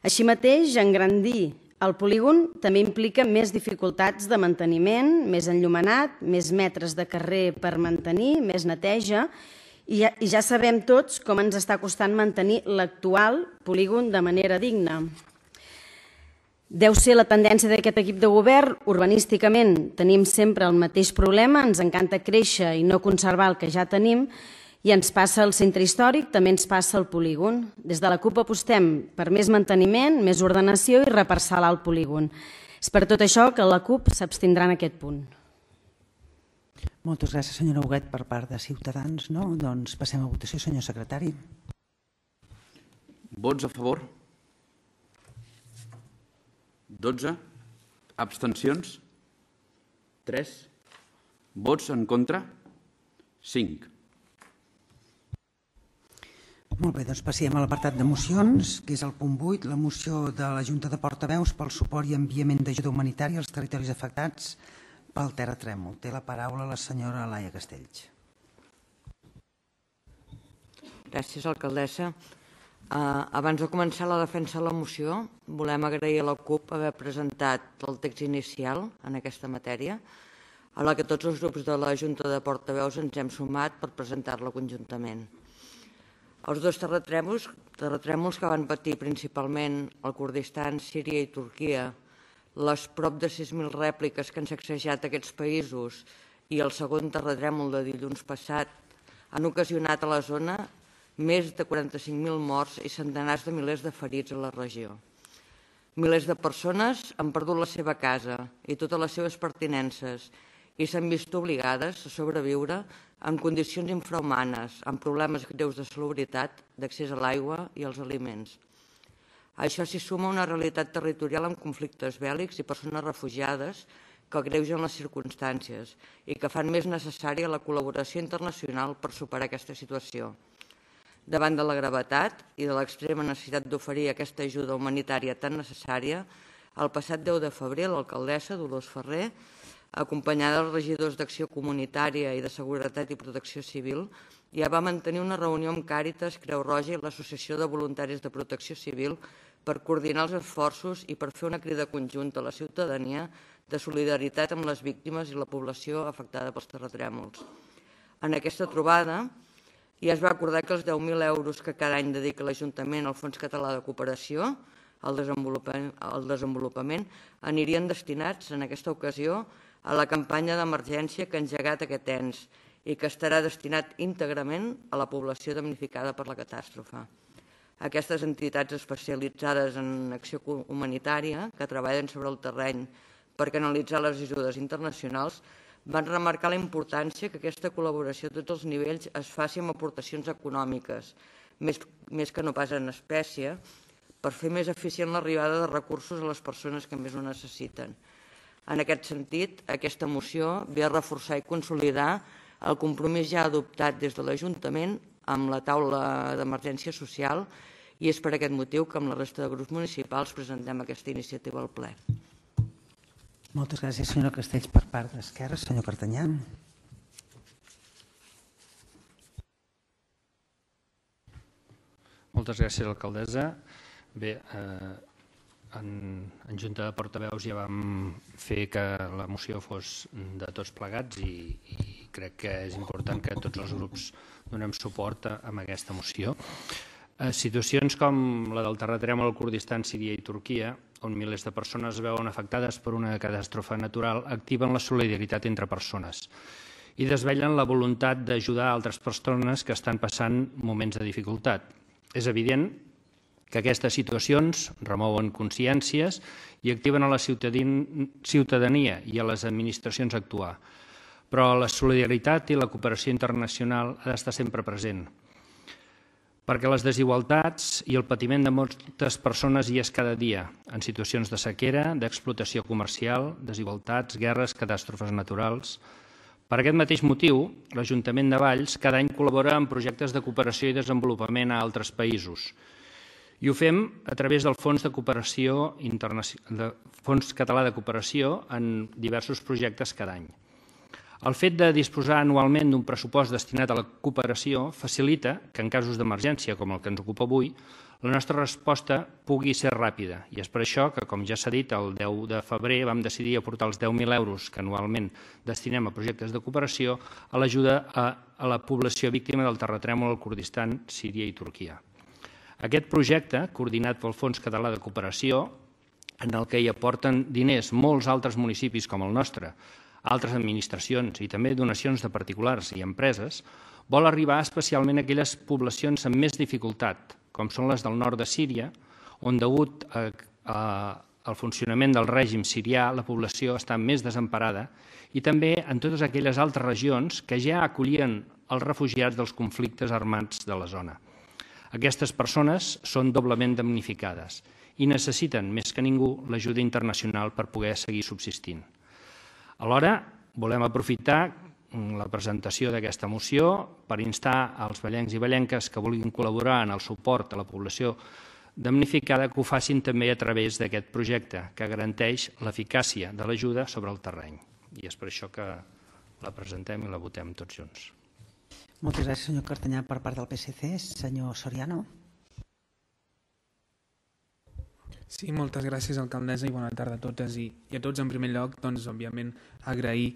Així mateix, engrandir el polígon també implica més dificultats de manteniment, més enllumenat, més metres de carrer per mantenir, més neteja, i ja sabem tots com ens està costant mantenir l'actual polígon de manera digna. Deu ser la tendència d'aquest equip de govern. Urbanísticament tenim sempre el mateix problema, ens encanta créixer i no conservar el que ja tenim, i ens passa al centre històric, també ens passa al polígon. Des de la CUP apostem per més manteniment, més ordenació i reparcel·lar el polígon. És per tot això que la CUP s'abstindrà en aquest punt. Moltes gràcies, senyora Huguet, per part de Ciutadans. Doncs passem a votació, senyor secretari. Vots a favor? 12. Abstencions? 3. Vots en contra? 5. Molt bé, doncs passem a l'apartat de mocions, que és el punt 8, la moció de la Junta de Portaveus pel suport i enviament d'ajuda humanitària als territoris afectats pel terratrèmol. Té la paraula la senyora Laia Castells. Gràcies, alcaldessa. Abans de començar la defensa de la moció, volem agrair a la CUP haver presentat el text inicial en aquesta matèria, a la que tots els grups de la Junta de Portaveus ens hem sumat per presentar-la conjuntament. Els dos terratrèmols que van patir principalment el Kurdistan, Síria i Turquia, les prop de 6.000 rèpliques que han sacsejat aquests països i el segon terratrèmol de dilluns passat han ocasionat a la zona més de 45.000 morts i centenars de milers de ferits a la regió. Milers de persones han perdut la seva casa i totes les seves pertinences i s'han vist obligades a sobreviure en condicions infrahumanes, amb problemes greus de salubritat, d'accés a l'aigua i als aliments. A això s'hi suma una realitat territorial amb conflictes bèl·lics i persones refugiades que agreugen les circumstàncies i que fan més necessària la col·laboració internacional per superar aquesta situació. Davant de la gravetat i de l'extrema necessitat d'oferir aquesta ajuda humanitària tan necessària, el passat 10 de febrer l'alcaldessa Dolors Ferrer, acompanyada dels regidors d'Acció Comunitària i de Seguretat i Protecció Civil, ja va mantenir una reunió amb Càritas, Creu Roja i l'Associació de Voluntaris de Protecció Civil per coordinar els esforços i per fer una crida conjunta a la ciutadania de solidaritat amb les víctimes i la població afectada pels terratrèmols. En aquesta trobada, i es va acordar que els 10.000 euros que cada any dedica l'Ajuntament al Fons Català de Cooperació al desenvolupament anirien destinats, en aquesta ocasió, a la campanya d'emergència que ha engegat aquest ens i que estarà destinat íntegrament a la població damnificada per la catàstrofe. Aquestes entitats especialitzades en acció humanitària, que treballen sobre el terreny per canalitzar les ajudes internacionals, van remarcar la importància que aquesta col·laboració a tots els nivells es faci amb aportacions econòmiques, més que no pas en espècie, per fer més eficient l'arribada de recursos a les persones que més ho necessiten. En aquest sentit, aquesta moció ve a reforçar i consolidar el compromís ja adoptat des de l'Ajuntament amb la taula d'emergència social i és per aquest motiu que amb la resta de grups municipals presentem aquesta iniciativa al ple. Moltes gràcies, senyora Castells. Per part d'Esquerra, senyor Cartanyà. Moltes gràcies, alcaldessa. Bé, en Junta de Portaveus ja vam fer que la moció fos de tots plegats i crec que és important que tots els grups donem suport a aquesta moció. Situacions com la del terratrèmol al Kurdistan, Síria i Turquia, on milers de persones es veuen afectades per una catàstrofe natural, activen la solidaritat entre persones i desvellen la voluntat d'ajudar altres persones que estan passant moments de dificultat. És evident que aquestes situacions remouen consciències i activen a la ciutadania i a les administracions a actuar. Però la solidaritat i la cooperació internacional ha d'estar sempre present, perquè les desigualtats i el patiment de moltes persones hi és cada dia, en situacions de sequera, d'explotació comercial, desigualtats, guerres, catàstrofes naturals. Per aquest mateix motiu, l'Ajuntament de Valls cada any col·labora en projectes de cooperació i desenvolupament a altres països. I ho fem a través del Fons Català de Cooperació en diversos projectes cada any. El fet de disposar anualment d'un pressupost destinat a la cooperació facilita que en casos d'emergència, com el que ens ocupa avui, la nostra resposta pugui ser ràpida. I és per això que, com ja s'ha dit, el 10 de febrer vam decidir aportar els 10.000 euros que anualment destinem a projectes de cooperació a l'ajuda a la població víctima del terratrèmol al Kurdistan, Síria i Turquia. Aquest projecte, coordinat pel Fons Català de Cooperació, en el que hi aporten diners molts altres municipis com el nostre, altres administracions i també donacions de particulars i empreses, vol arribar especialment a aquelles poblacions amb més dificultat, com són les del nord de Síria, on, degut al funcionament del règim sirià, la població està més desemparada, i també en totes aquelles altres regions que ja acollien els refugiats dels conflictes armats de la zona. Aquestes persones són doblement damnificades i necessiten, més que ningú, l'ajuda internacional per poder seguir subsistint. Alhora, volem aprofitar la presentació d'aquesta moció per instar als vallencs i vallenques que vulguin col·laborar en el suport a la població damnificada que ho facin també a través d'aquest projecte que garanteix l'eficàcia de l'ajuda sobre el terreny. I és per això que la presentem i la votem tots junts. Moltes gràcies, senyor Cartanyà. Per part del PSC, senyor Soriano. Sí, moltes gràcies, alcaldessa, i bona tarda a totes i a tots. En primer lloc, doncs, òbviament, agrair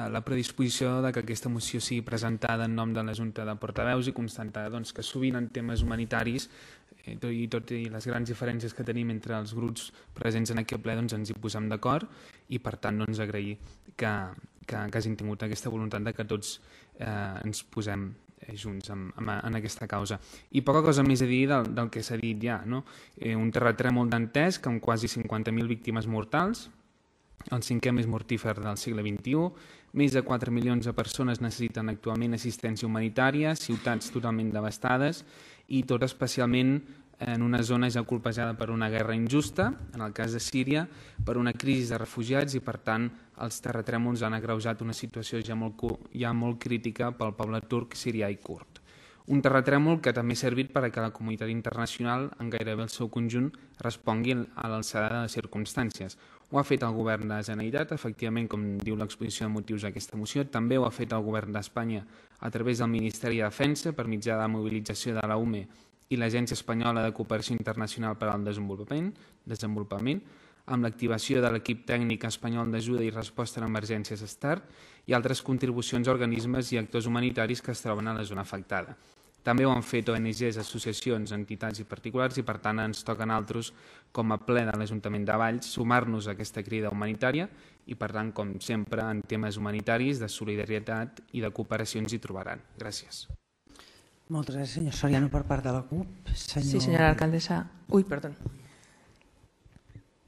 la predisposició de que aquesta moció sigui presentada en nom de la Junta de Portaveus i constatar doncs, que sovint en temes humanitaris tot i les grans diferències que tenim entre els grups presents en aquest ple, doncs, ens hi posem d'acord i, per tant, doncs, agrair que hagin tingut aquesta voluntat de que tots ens posem junts en aquesta causa. I poca cosa més a dir del que s'ha dit ja, no? Un terratrèmol dantesc amb quasi 50.000 víctimes mortals, el cinquè més mortífer del segle XXI, més de 4 milions de persones necessiten actualment assistència humanitària, ciutats totalment devastades i tot especialment en una zona ja colpejada per una guerra injusta, en el cas de Síria, per una crisi de refugiats i, per tant, els terratrèmols han agreujat una situació ja molt crítica pel poble turc, sirià i kurd. Un terratrèmol que també ha servit perquè la comunitat internacional, en gairebé el seu conjunt, respongui a l'alçada de les circumstàncies. Ho ha fet el govern de la Generalitat, efectivament, com diu l'exposició de motius d'aquesta moció, també ho ha fet el govern d'Espanya a través del Ministeri de Defensa per mitjà de la mobilització de la UME i l'Agència Espanyola de Cooperació Internacional per al Desenvolupament, amb l'activació de l'equip tècnic espanyol d'ajuda i resposta a emergències START i altres contribucions a organismes i actors humanitaris que es troben a la zona afectada. També ho han fet ONGs, associacions, entitats i particulars i, per tant, ens toca a nosaltres, com a ple de l'Ajuntament de Valls, sumar-nos a aquesta crida humanitària i, per tant, com sempre, en temes humanitaris, de solidaritat i de cooperació ens hi trobaran. Gràcies. Moltes gràcies, senyor Soriano, per part de la CUP. Sí, senyora alcaldessa. Uy, perdón.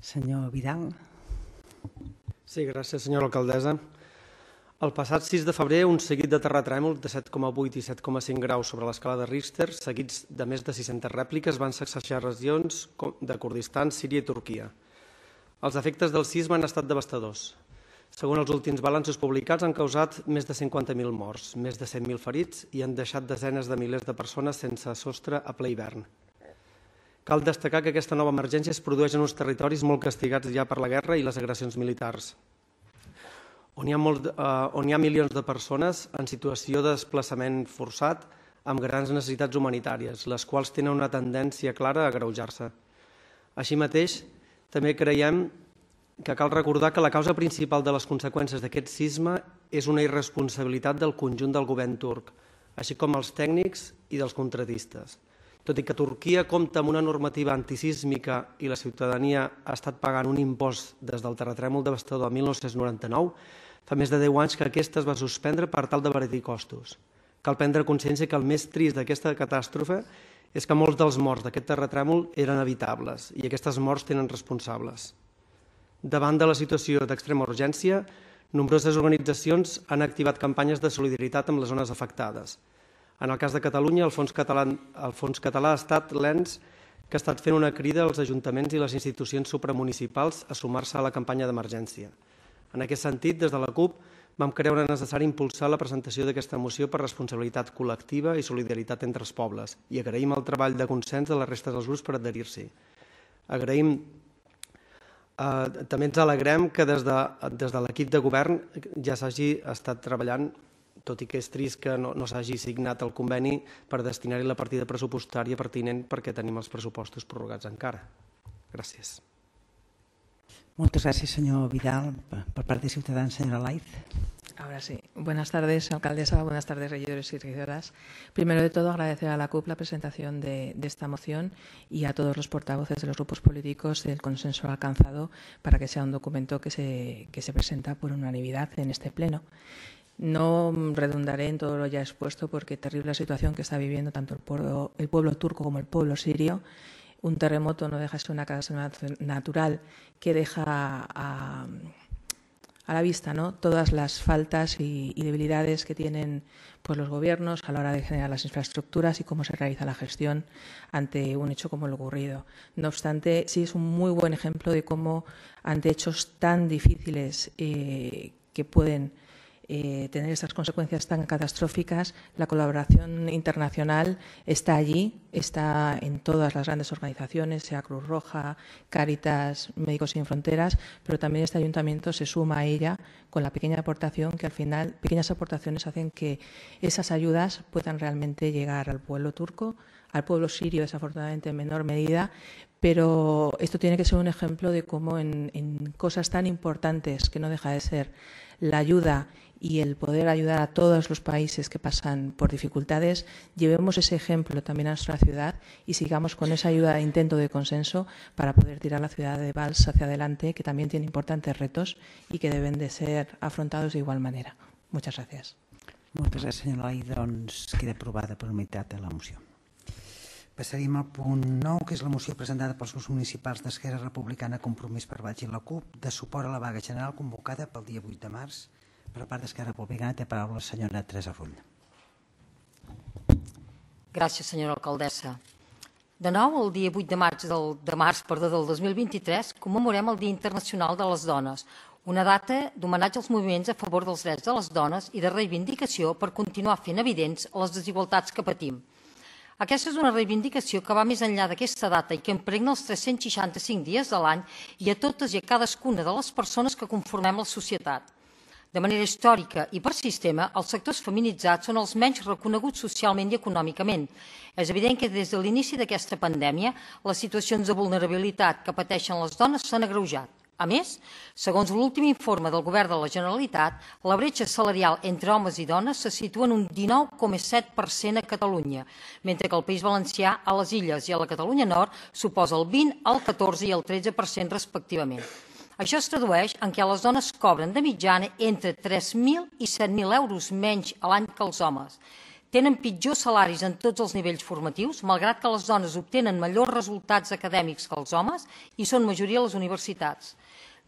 Senyor Vidal. Sí, gràcies, senyora alcaldessa. El passat 6 de febrer, un seguit de terratrèmols de 7,8 i 7,5 graus sobre l'escala de Richter, seguits de més de 600 rèpliques, van sacsejar regions de Kurdistan, Síria i Turquia. Els efectes del sisme han estat devastadors. Segons els últims balanços publicats, han causat més de 50.000 morts, més de 100.000 ferits i han deixat desenes de milers de persones sense sostre a ple hivern. Cal destacar que aquesta nova emergència es produeix en uns territoris molt castigats ja per la guerra i les agressions militars, on hi ha milions de persones en situació de desplaçament forçat amb grans necessitats humanitàries, les quals tenen una tendència clara a agreujar-se. Així mateix, també creiem que cal recordar que la causa principal de les conseqüències d'aquest sisme és una irresponsabilitat del conjunt del govern turc, així com els tècnics i dels contratistes. Tot i que Turquia compta amb una normativa antisísmica i la ciutadania ha estat pagant un impost des del terratrèmol devastador de 1999, fa més de 10 anys que aquesta es va suspendre per tal d'abaratir costos. Cal prendre consciència que el més trist d'aquesta catàstrofe és que molts dels morts d'aquest terratrèmol eren evitables i aquestes morts tenen responsables. Davant de la situació d'extrema urgència, nombroses organitzacions han activat campanyes de solidaritat amb les zones afectades. En el cas de Catalunya, el Fons Català ha estat l'ens que ha estat fent una crida als ajuntaments i les institucions supramunicipals a sumar-se a la campanya d'emergència. En aquest sentit, des de la CUP, vam creure necessari impulsar la presentació d'aquesta moció per responsabilitat col·lectiva i solidaritat entre els pobles i agraïm el treball de consens de la resta dels grups per adherir-s'hi. També ens alegrem que des de l'equip de govern ja s'hagi estat treballant, tot i que és trist que no s'hagi signat el conveni per destinar-hi la partida pressupostària pertinent perquè tenim els pressupostos prorrogats encara. Gràcies. Moltes gràcies, senyor Vidal. Per part de Ciutadans, senyora Laiz. Ahora sí. Buenas tardes, alcaldesa. Buenas tardes, regidores y regidoras. Primero de todo, agradecer a la CUP la presentación de esta moción y a todos los portavoces de los grupos políticos del consenso alcanzado para que sea un documento que se presenta por unanimidad en este pleno. No redundaré en todo lo ya expuesto porque terrible situación que está viviendo tanto el pueblo turco como el pueblo sirio. Un terremoto no deja de ser una catástrofe natural que deja a la vista, ¿no?, todas las faltas y debilidades que tienen pues, los gobiernos a la hora de generar las infraestructuras y cómo se realiza la gestión ante un hecho como el ocurrido. No obstante, sí es un muy buen ejemplo de cómo ante hechos tan difíciles que pueden tener estas consecuencias tan catastróficas, la colaboración internacional está allí, está en todas las grandes organizaciones, sea Cruz Roja, Cáritas, Médicos Sin Fronteras, pero también este ayuntamiento se suma a ella con la pequeña aportación que al final, pequeñas aportaciones hacen que esas ayudas puedan realmente llegar al pueblo turco, al pueblo sirio desafortunadamente en menor medida, pero esto tiene que ser un ejemplo de cómo en cosas tan importantes que no deja de ser la ayuda y el poder ayudar a todos los países que pasan por dificultades, llevemos ese ejemplo también a nuestra ciudad y sigamos con esa ayuda e intento de consenso para poder tirar la ciudad de Valls hacia adelante, que también tiene importantes retos y que deben de ser afrontados de igual manera. Muchas gracias. Moltes gràcies, senyor Eloi. Doncs queda aprovada per unitat la moció. Passaríem al punt 9, que és la moció presentada pels grups municipals d'Esquerra Republicana, Compromís per Valls i la CUP, de suport a la vaga general convocada pel dia 8 de març. Per part d'Esquerra Republicana té paraula la senyora Teresa Rull. Gràcies, senyora alcaldessa. De nou, el dia 8 de març del 2023 commemorem el Dia Internacional de les Dones, una data d'homenatge als moviments a favor dels drets de les dones i de reivindicació per continuar fent evidents les desigualtats que patim. Aquesta és una reivindicació que va més enllà d'aquesta data i que impregna els 365 dies de l'any i a totes i a cadascuna de les persones que conformem la societat. De manera històrica i per sistema, els sectors feminitzats són els menys reconeguts socialment i econòmicament. És evident que des de l'inici d'aquesta pandèmia, les situacions de vulnerabilitat que pateixen les dones s'han agreujat. A més, segons l'últim informe del Govern de la Generalitat, la bretxa salarial entre homes i dones se situa en un 19,7% a Catalunya, mentre que al País Valencià, a les Illes i a la Catalunya Nord suposa el 20%, el 14% i el 13% respectivament. Això es tradueix en què les dones cobren de mitjana entre 3.000 i 7.000 euros menys a l'any que els homes. Tenen pitjors salaris en tots els nivells formatius, malgrat que les dones obtenen millors resultats acadèmics que els homes i són majoria a les universitats.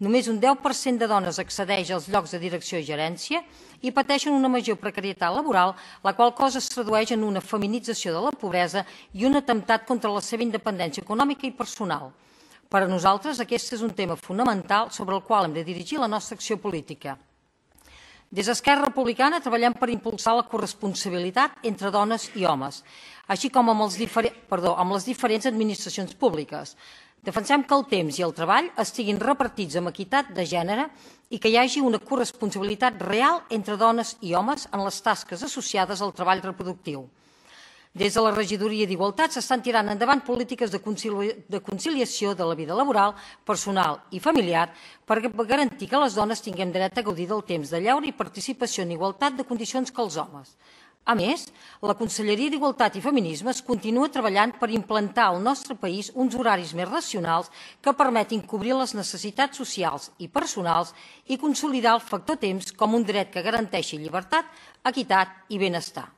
Només un 10% de dones accedeix als llocs de direcció i gerència i pateixen una major precarietat laboral, la qual cosa es tradueix en una feminització de la pobresa i un atemptat contra la seva independència econòmica i personal. Per a nosaltres, aquest és un tema fonamental sobre el qual hem de dirigir la nostra acció política. Des d'Esquerra Republicana treballem per impulsar la corresponsabilitat entre dones i homes, així com amb les diferents administracions públiques. Defensem que el temps i el treball estiguin repartits amb equitat de gènere i que hi hagi una corresponsabilitat real entre dones i homes en les tasques associades al treball reproductiu. Des de la Regidoria d'Igualtat s'estan tirant endavant polítiques de conciliació de la vida laboral, personal i familiar per garantir que les dones tinguem dret a gaudir del temps de lleure i participació en igualtat de condicions que els homes. A més, la Conselleria d'Igualtat i Feminismes continua treballant per implantar al nostre país uns horaris més racionals que permetin cobrir les necessitats socials i personals i consolidar el factor temps com un dret que garanteixi llibertat, equitat i benestar.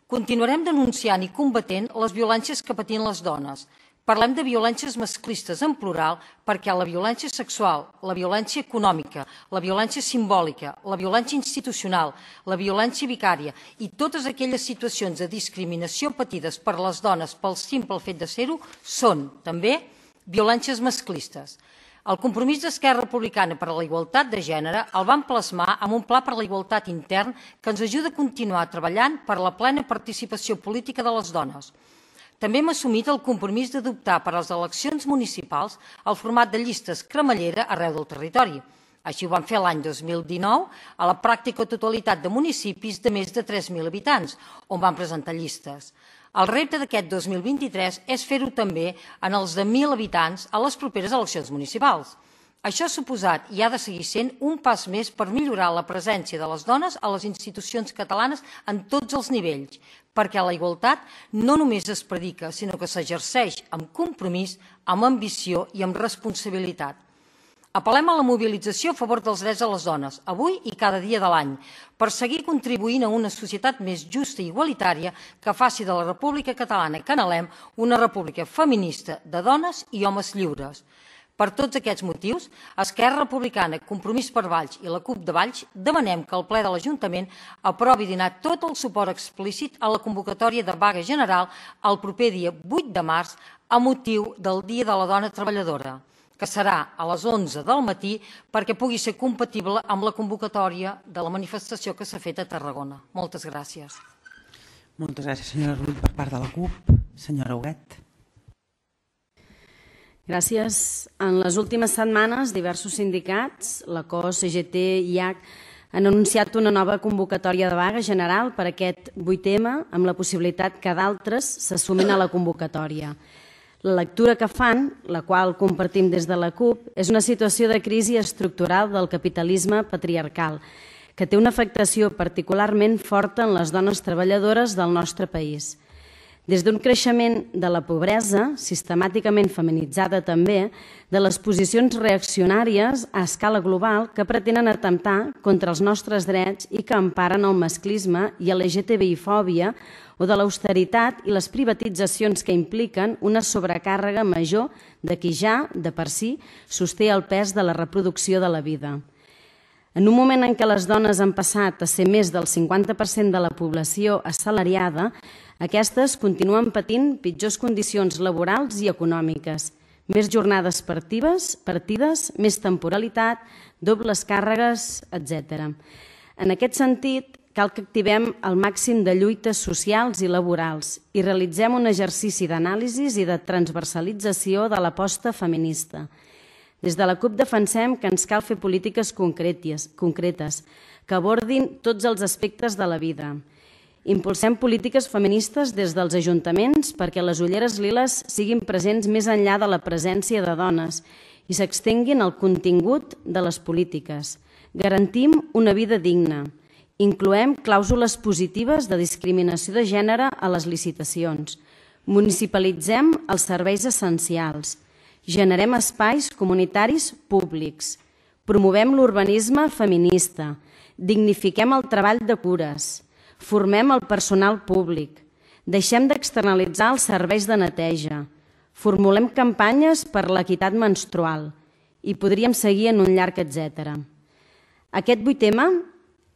Continuarem denunciant i combatent les violències que patien les dones. Parlem de violències masclistes en plural perquè la violència sexual, la violència econòmica, la violència simbòlica, la violència institucional, la violència vicària i totes aquelles situacions de discriminació patides per les dones pel simple fet de ser-ho són, també, violències masclistes. El compromís d'Esquerra Republicana per a la igualtat de gènere el vam plasmar amb un pla per a la igualtat intern que ens ajuda a continuar treballant per la plena participació política de les dones. També hem assumit el compromís d'adoptar per a les eleccions municipals el format de llistes cremallera arreu del territori. Així ho vam fer l'any 2019 a la pràctica totalitat de municipis de més de 3.000 habitants, on vam presentar llistes. El repte d'aquest 2023 és fer-ho també en els de 1.000 habitants a les properes eleccions municipals. Això ha suposat i ha de seguir sent un pas més per millorar la presència de les dones a les institucions catalanes en tots els nivells, perquè la igualtat no només es predica, sinó que s'exerceix amb compromís, amb ambició i amb responsabilitat. Apel·lem a la mobilització a favor dels drets de les dones, avui i cada dia de l'any, per seguir contribuint a una societat més justa i igualitària que faci de la República Catalana que anhelem una república feminista de dones i homes lliures. Per tots aquests motius, Esquerra Republicana, Compromís per Valls i la CUP de Valls demanem que el ple de l'Ajuntament aprovi donar tot el suport explícit a la convocatòria de vaga general el proper dia 8 de març a motiu del Dia de la Dona Treballadora. que serà a les 11 del matí perquè pugui ser compatible amb la convocatòria de la manifestació que s'ha fet a Tarragona. Moltes gràcies. Moltes gràcies, senyora Rull. Per part de la CUP, senyora Huguet. Gràcies. En les últimes setmanes, diversos sindicats, la COS, CGT i IAC, han anunciat una nova convocatòria de vaga general per aquest 8M, amb la possibilitat que d'altres s'assumin a la convocatòria. La lectura que fan, la qual compartim des de la CUP, és una situació de crisi estructural del capitalisme patriarcal, que té una afectació particularment forta en les dones treballadores del nostre país. Des d'un creixement de la pobresa, sistemàticament feminitzada també, de les posicions reaccionàries a escala global que pretenen atemptar contra els nostres drets i que emparen el masclisme i la LGTBI-fòbia, o de l'austeritat i les privatitzacions que impliquen una sobrecàrrega major de qui ja, de per si, sosté el pes de la reproducció de la vida. En un moment en què les dones han passat a ser més del 50% de la població assalariada, aquestes continuen patint pitjors condicions laborals i econòmiques, més jornades partides, més temporalitat, dobles càrregues, etc. En aquest sentit, cal que activem el màxim de lluites socials i laborals i realitzem un exercici d'anàlisi i de transversalització de l'aposta feminista. Des de la CUP defensem que ens cal fer polítiques concretes que abordin tots els aspectes de la vida. Impulsem polítiques feministes des dels ajuntaments perquè les ulleres liles siguin presents més enllà de la presència de dones i s'extenguin al contingut de les polítiques. Garantim una vida digna. Incloem clàusules positives de discriminació de gènere a les licitacions. Municipalitzem els serveis essencials. Generem espais comunitaris públics. Promovem l'urbanisme feminista. Dignifiquem el treball de cures. Formem el personal públic. Deixem d'externalitzar els serveis de neteja. Formulem campanyes per l'equitat menstrual. I podríem seguir en un llarg etcètera. Aquest 8M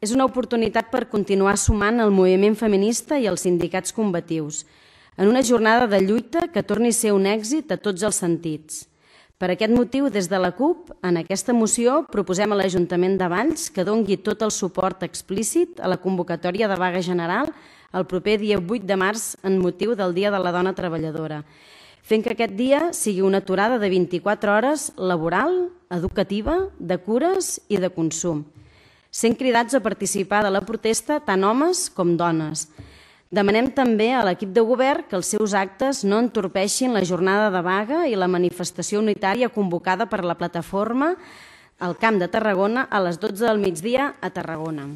és una oportunitat per continuar sumant el moviment feminista i els sindicats combatius en una jornada de lluita que torni a ser un èxit a tots els sentits. Per aquest motiu, des de la CUP, en aquesta moció proposem a l'Ajuntament de Valls que doni tot el suport explícit a la convocatòria de vaga general el proper dia 8 de març en motiu del Dia de la Dona Treballadora, fent que aquest dia sigui una aturada de 24 hores laboral, educativa, de cures i de consum, sent cridats a participar de la protesta tant homes com dones. Demanem també a l'equip de govern que els seus actes no entorpeixin la jornada de vaga i la manifestació unitària convocada per la plataforma al Camp de Tarragona a les 12 del migdia a Tarragona.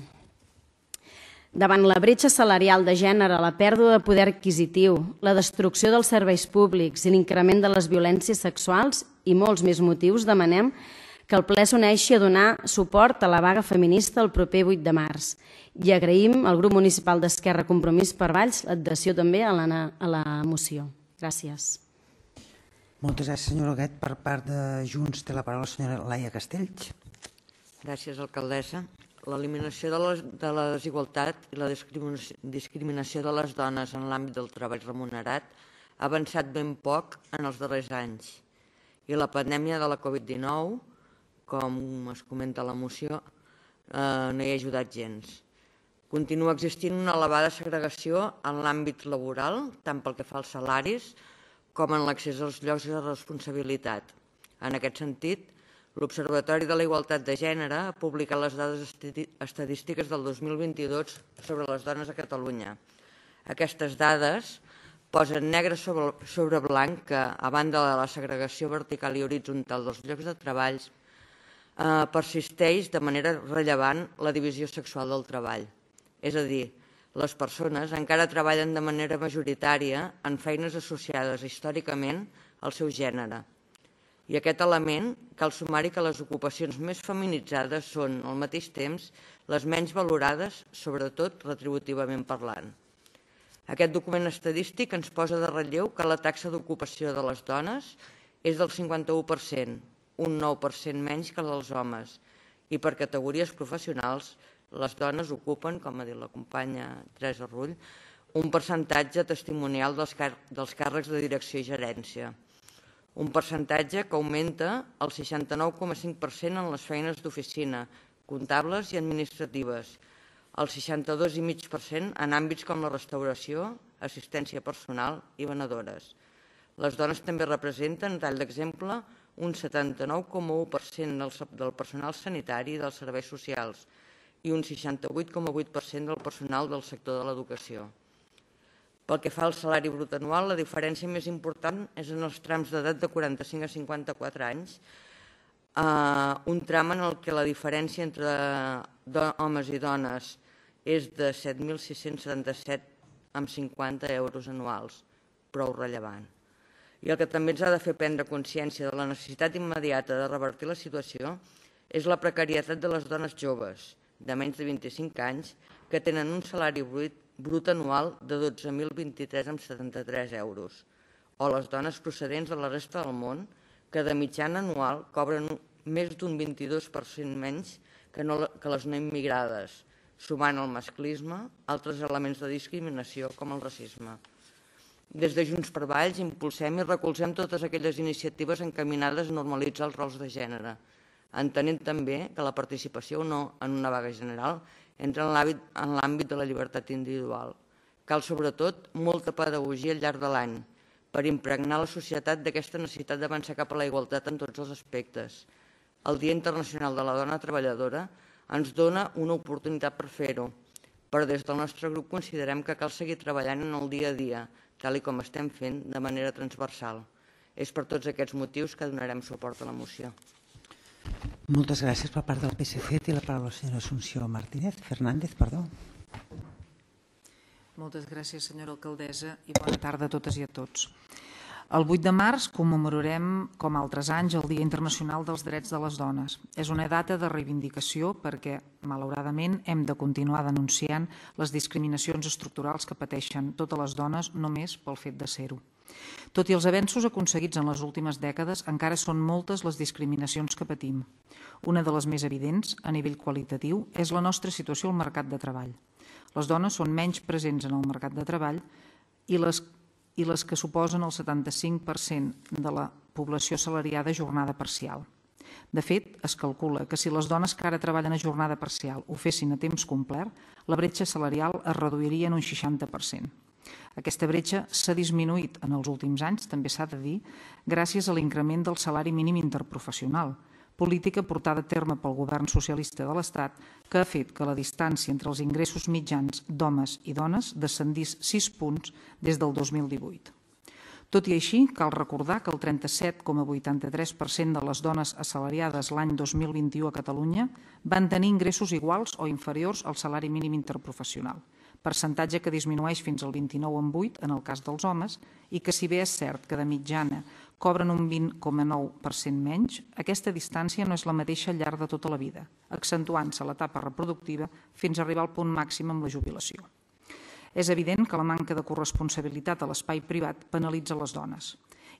Davant la bretxa salarial de gènere, la pèrdua de poder adquisitiu, la destrucció dels serveis públics i l'increment de les violències sexuals i molts més motius, demanem que el ple s'uneixi a donar suport a la vaga feminista el proper 8 de març. I agraïm al grup municipal d'Esquerra Compromís per Valls l'adhesió també a la moció. Gràcies. Moltes gràcies, senyora Huguet. Per part de Junts té la paraula la senyora Laia Castells. Gràcies, alcaldessa. L'eliminació de la desigualtat i la discriminació de les dones en l'àmbit del treball remunerat ha avançat ben poc en els darrers anys. I la pandèmia de la Covid-19, com es comenta a la moció, no hi ha ajudat gens. Continua existint una elevada segregació en l'àmbit laboral, tant pel que fa als salaris com en l'accés als llocs de responsabilitat. En aquest sentit, l'Observatori de la Igualtat de Gènere ha publicat les dades estadístiques del 2022 sobre les dones a Catalunya. Aquestes dades posen negre sobre blanc que, a banda de la segregació vertical i horitzontal dels llocs de treball, persisteix de manera rellevant la divisió sexual del treball. És a dir, les persones encara treballen de manera majoritària en feines associades històricament al seu gènere. I aquest element cal sumar-hi que les ocupacions més feminitzades són, al mateix temps, les menys valorades, sobretot retributivament parlant. Aquest document estadístic ens posa de relleu que la taxa d'ocupació de les dones és del 51%, un 9% menys que dels homes, i per categories professionals les dones ocupen, com ha dit la companya Teresa Rull, un percentatge testimonial dels càrrecs de direcció i gerència. un percentatge que augmenta el 69,5% en les feines d'oficina, comptables i administratives, el 62,5% en àmbits com la restauració, assistència personal i venedores. Les dones també representen, a tall d'exemple, un 79,1% del personal sanitari i dels serveis socials i un 68,8% del personal del sector de l'educació. Pel que fa al salari brut anual, la diferència més important és en els trams d'edat de 45 a 54 anys, un tram en el què la diferència entre homes i dones és de 7.677,50 euros anuals, prou rellevant. I el que també ens ha de fer prendre consciència de la necessitat immediata de revertir la situació és la precarietat de les dones joves, de menys de 25 anys, que tenen un salari brut anual de 12.023,73 euros, o les dones procedents de la resta del món, que de mitjana anual cobren més d'un 22% menys que les no immigrades, sumant el masclisme, altres elements de discriminació com el racisme. Des de Junts per Valls impulsem i recolzem totes aquelles iniciatives encaminades a normalitzar els rols de gènere, entenent també que la participació o no en una vaga general entra en l'àmbit de la llibertat individual. Cal, sobretot, molta pedagogia al llarg de l'any per impregnar la societat d'aquesta necessitat d'avançar cap a la igualtat en tots els aspectes. El Dia Internacional de la Dona Treballadora ens dona una oportunitat per fer-ho, però des del nostre grup considerem que cal seguir treballant en el dia a dia, tal com estem fent de manera transversal. És per tots aquests motius que donarem suport a la moció. Moltes gràcies per part del PSC. Té la paraula la senyora Assumpció Fernández. Moltes gràcies, senyora alcaldessa, i bona tarda a totes i a tots. El 8 de març commemorarem, com altres anys, el Dia Internacional dels Drets de les Dones. És una data de reivindicació perquè, malauradament, hem de continuar denunciant les discriminacions estructurals que pateixen totes les dones només pel fet de ser-ho. Tot i els avenços aconseguits en les últimes dècades, encara són moltes les discriminacions que patim. Una de les més evidents, a nivell qualitatiu, és la nostra situació al mercat de treball. Les dones són menys presents en el mercat de treball i les que suposen el 75% de la població assalariada a jornada parcial. De fet, es calcula que si les dones que ara treballen a jornada parcial ho fessin a temps complet, la bretxa salarial es reduiria en un 60%. Aquesta bretxa s'ha disminuït en els últims anys, també s'ha de dir, gràcies a l'increment del salari mínim interprofessional, política portada a terme pel govern socialista de l'Estat que ha fet que la distància entre els ingressos mitjans d'homes i dones descendís 6 punts des del 2018. Tot i així, cal recordar que el 37,83% de les dones assalariades l'any 2021 a Catalunya van tenir ingressos iguals o inferiors al salari mínim interprofessional, percentatge que disminueix fins al 29,8% en el cas dels homes i que, si bé és cert que de mitjana cobren un 20,9% menys, aquesta distància no és la mateixa al llarg de tota la vida, accentuant-se l'etapa reproductiva fins a arribar al punt màxim amb la jubilació. És evident que la manca de corresponsabilitat a l'espai privat penalitza les dones.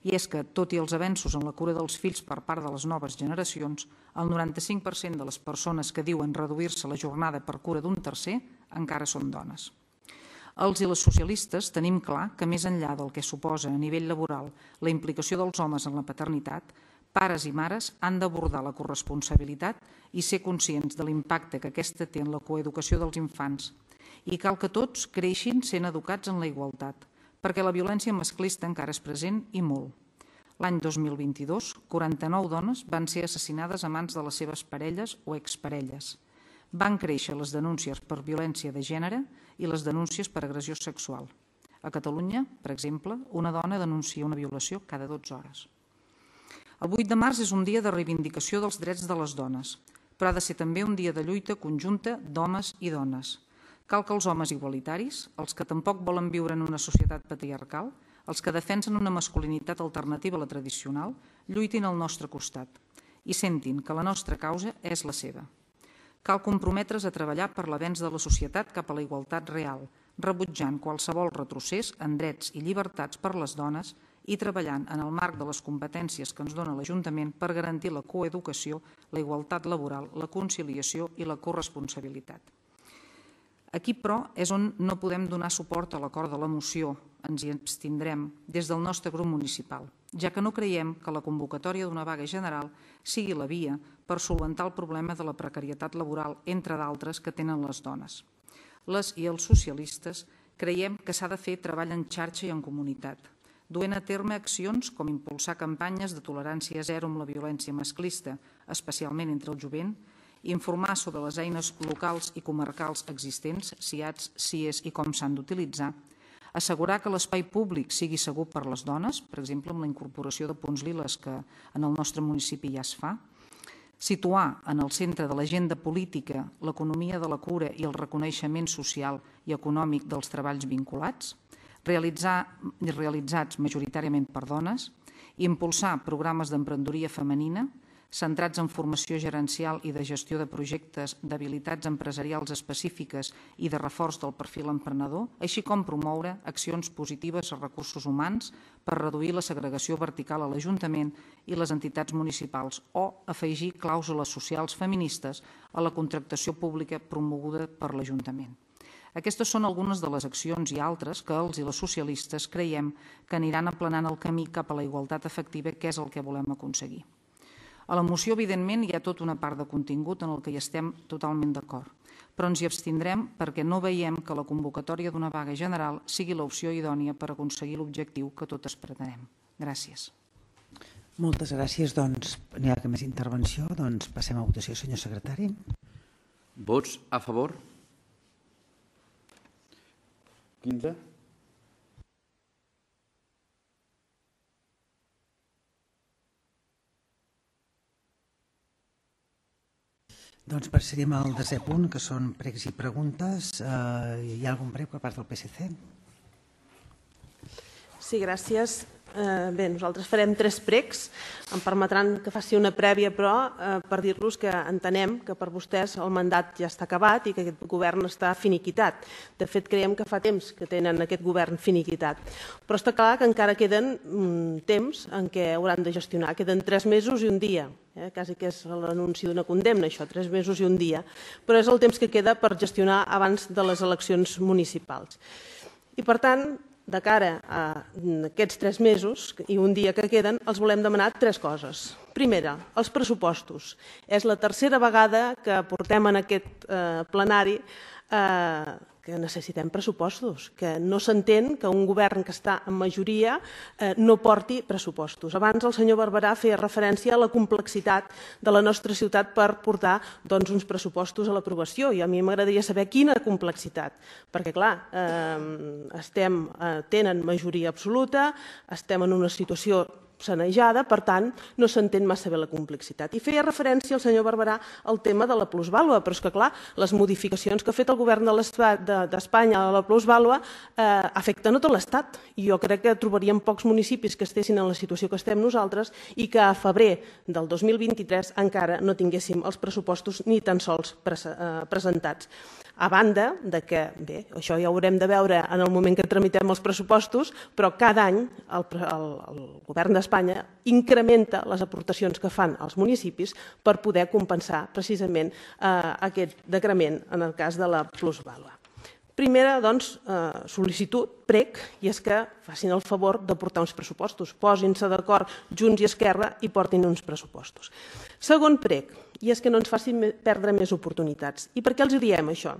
I és que, tot i els avenços en la cura dels fills per part de les noves generacions, el 95% de les persones que diuen reduir-se la jornada per cura d'un tercer encara són dones. Els i les socialistes tenim clar que més enllà del que suposa a nivell laboral la implicació dels homes en la paternitat, pares i mares han d'abordar la corresponsabilitat i ser conscients de l'impacte que aquesta té en la coeducació dels infants. I cal que tots creixin sent educats en la igualtat, perquè la violència masclista encara és present i molt. L'any 2022, 49 dones van ser assassinades a mans de les seves parelles o exparelles. Van créixer les denúncies per violència de gènere i les denúncies per agressió sexual. A Catalunya, per exemple, una dona denuncia una violació cada 12 hores. El 8 de març és un dia de reivindicació dels drets de les dones, però ha de ser també un dia de lluita conjunta d'homes i dones. Cal que els homes igualitaris, els que tampoc volen viure en una societat patriarcal, els que defensen una masculinitat alternativa a la tradicional, lluitin al nostre costat i sentin que la nostra causa és la seva. Cal comprometre's a treballar per l'avenç de la societat cap a la igualtat real, rebutjant qualsevol retrocés en drets i llibertats per les dones i treballant en el marc de les competències que ens dona l'Ajuntament per garantir la coeducació, la igualtat laboral, la conciliació i la corresponsabilitat. Aquí, però, és on no podem donar suport a l'acord de la moció. Ens hi abstindrem des del nostre grup municipal, ja que no creiem que la convocatòria d'una vaga general sigui la via per solventar el problema de la precarietat laboral, entre d'altres, que tenen les dones. Les i els socialistes creiem que s'ha de fer treball en xarxa i en comunitat, duent a terme accions com impulsar campanyes de tolerància zero amb la violència masclista, especialment entre el jovent, informar sobre les eines locals i comarcals existents, SIADs, CIEs i com s'han d'utilitzar, assegurar que l'espai públic sigui segur per les dones, per exemple, amb la incorporació de punts liles que en el nostre municipi ja es fa, situar en el centre de l'agenda política l'economia de la cura i el reconeixement social i econòmic dels treballs vinculats, realitzats majoritàriament per dones, impulsar programes d'emprenedoria femenina, centrats en formació gerencial i de gestió de projectes d'habilitats empresarials específiques i de reforç del perfil emprenedor, així com promoure accions positives a recursos humans per reduir la segregació vertical a l'Ajuntament i les entitats municipals o afegir clàusules socials feministes a la contractació pública promoguda per l'Ajuntament. Aquestes són algunes de les accions i altres que els i les socialistes creiem que aniran aplanant el camí cap a la igualtat efectiva, que és el que volem aconseguir. A la moció, evidentment, hi ha tota una part de contingut en el que hi estem totalment d'acord, però ens hi abstindrem perquè no veiem que la convocatòria d'una vaga general sigui l'opció idònia per aconseguir l'objectiu que totes pretenem. Gràcies. Moltes gràcies. Doncs, n'hi ha que més intervenció. Doncs passem a votació, senyor secretari. Vots a favor? 15. Doncs passaríem al desè punt, que són pregs i preguntes. Hi ha algun prec per part del PSC? Sí, gràcies. Bé, nosaltres farem 3 pregs. Em permetran que faci una prèvia, però, per dir-los que entenem que per vostès el mandat ja està acabat i que aquest govern està finiquitat. De fet, creiem que fa temps que tenen aquest govern finiquitat. Però està clar que encara queden temps en què hauran de gestionar. Queden 3 mesos i un dia. Quasi que és l'anunci d'una condemna, això, 3 mesos i un dia. Però és el temps que queda per gestionar abans de les eleccions municipals. I, per tant, de cara a aquests 3 mesos i un dia que queden, els volem demanar 3 coses. Primera, els pressupostos. És la tercera vegada que portem en aquest plenari que necessitem pressupostos, que no s'entén que un govern que està en majoria no porti pressupostos. Abans el senyor Barberà feia referència a la complexitat de la nostra ciutat per portar uns pressupostos a l'aprovació i a mi m'agradaria saber quina complexitat, perquè clar, tenen majoria absoluta, estem en una situació sanejada, per tant, no s'entén massa bé la complexitat. I feia referència el senyor Barberà al tema de la plusvàlua, però és que, clar, les modificacions que ha fet el govern d'Espanya a la plusvàlua afecten a tot l'Estat. I jo crec que trobaríem pocs municipis que estessin en la situació que estem nosaltres i que a febrer del 2023 encara no tinguéssim els pressupostos ni tan sols presentats. A banda de que, bé, això ja ho haurem de veure en el moment que tramitem els pressupostos, però cada any el govern d'Espanya incrementa les aportacions que fan als municipis per poder compensar precisament aquest decrement en el cas de la plusvàlua. Primera, doncs, sol·licitud, prec, i és que facin el favor de portar uns pressupostos. Posin-se d'acord Junts i Esquerra i portin uns pressupostos. Segon prec, i és que no ens facin perdre més oportunitats. I per què els diem això?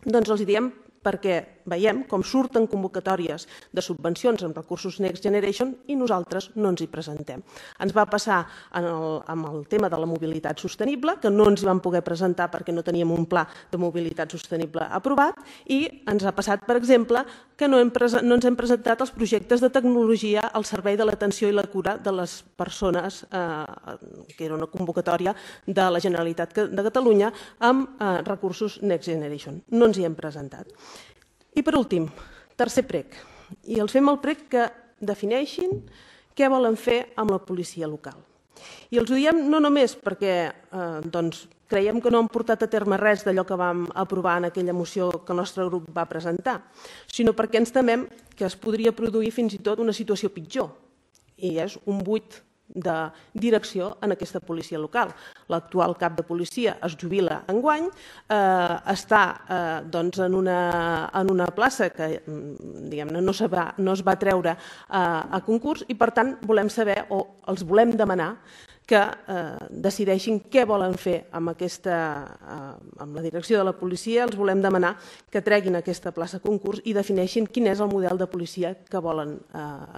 Doncs els diem perquè veiem com surten convocatòries de subvencions amb recursos Next Generation i nosaltres no ens hi presentem. Ens va passar amb el tema de la mobilitat sostenible, que no ens hi vam poder presentar perquè no teníem un pla de mobilitat sostenible aprovat, i ens ha passat, per exemple, que no ens hem presentat els projectes de tecnologia al servei de l'atenció i la cura de les persones, que era una convocatòria de la Generalitat de Catalunya amb recursos Next Generation. No ens hi hem presentat. I per últim, tercer prec, i els fem el prec que defineixin què volen fer amb la policia local. I els ho diem no només perquè creiem que no han portat a terme res d'allò que vam aprovar en aquella moció que el nostre grup va presentar, sinó perquè ens temem que es podria produir fins i tot una situació pitjor, i és un buit de direcció en aquesta policia local. L'actual cap de policia es jubila enguany, està en una plaça que no es va treure a concurs i, per tant, volem saber o els volem demanar que decideixin què volen fer amb la direcció de la policia. Els volem demanar que treguin aquesta plaça a concurs i defineixin quin és el model de policia que volen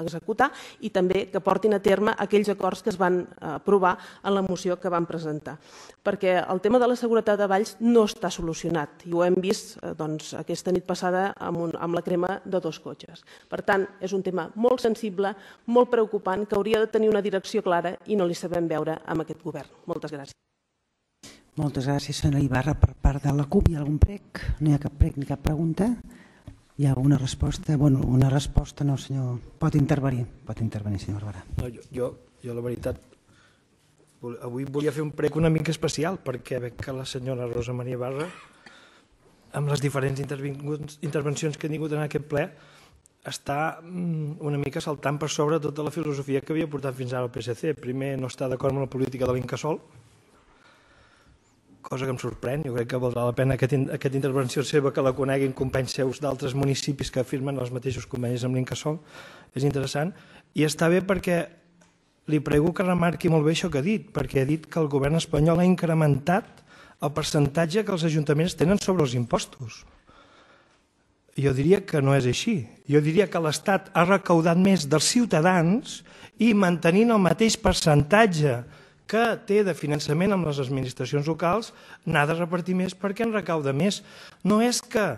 executar i també que portin a terme aquells acords que es van aprovar en la moció que van presentar. Perquè el tema de la seguretat de Valls no està solucionat i ho hem vist aquesta nit passada amb la crema de 2 cotxes. Per tant, és un tema molt sensible, molt preocupant, que hauria de tenir una direcció clara i no li sabem veure amb aquest govern. Moltes gràcies. Moltes gràcies, senyora Ibarra. Per part de la CUP hi ha algun prec? No hi ha cap prec ni cap pregunta? Hi ha alguna resposta? Bueno, una resposta no, senyor. Pot intervenir, senyor Barberà. Jo, la veritat, avui volia fer un prec una mica especial perquè veig que la senyora Rosa Maria Ibarra, amb les diferents intervencions que ha tingut en aquest ple, està una mica saltant per sobre tota la filosofia que havia portat fins ara el PSC. Primer, no està d'acord amb la política de l'Incasòl, cosa que em sorprèn. Jo crec que valdrà la pena aquesta intervenció seva que la coneguin companys seus d'altres municipis que firmen els mateixos convenis amb l'Incasòl. És interessant. I està bé perquè li prego que remarqui molt bé això que ha dit, perquè ha dit que el govern espanyol ha incrementat el percentatge que els ajuntaments tenen sobre els impostos. Jo diria que no és així. Jo diria que l'Estat ha recaudat més dels ciutadans i mantenint el mateix percentatge que té de finançament amb les administracions locals n'ha de repartir més perquè en recauda més. No és que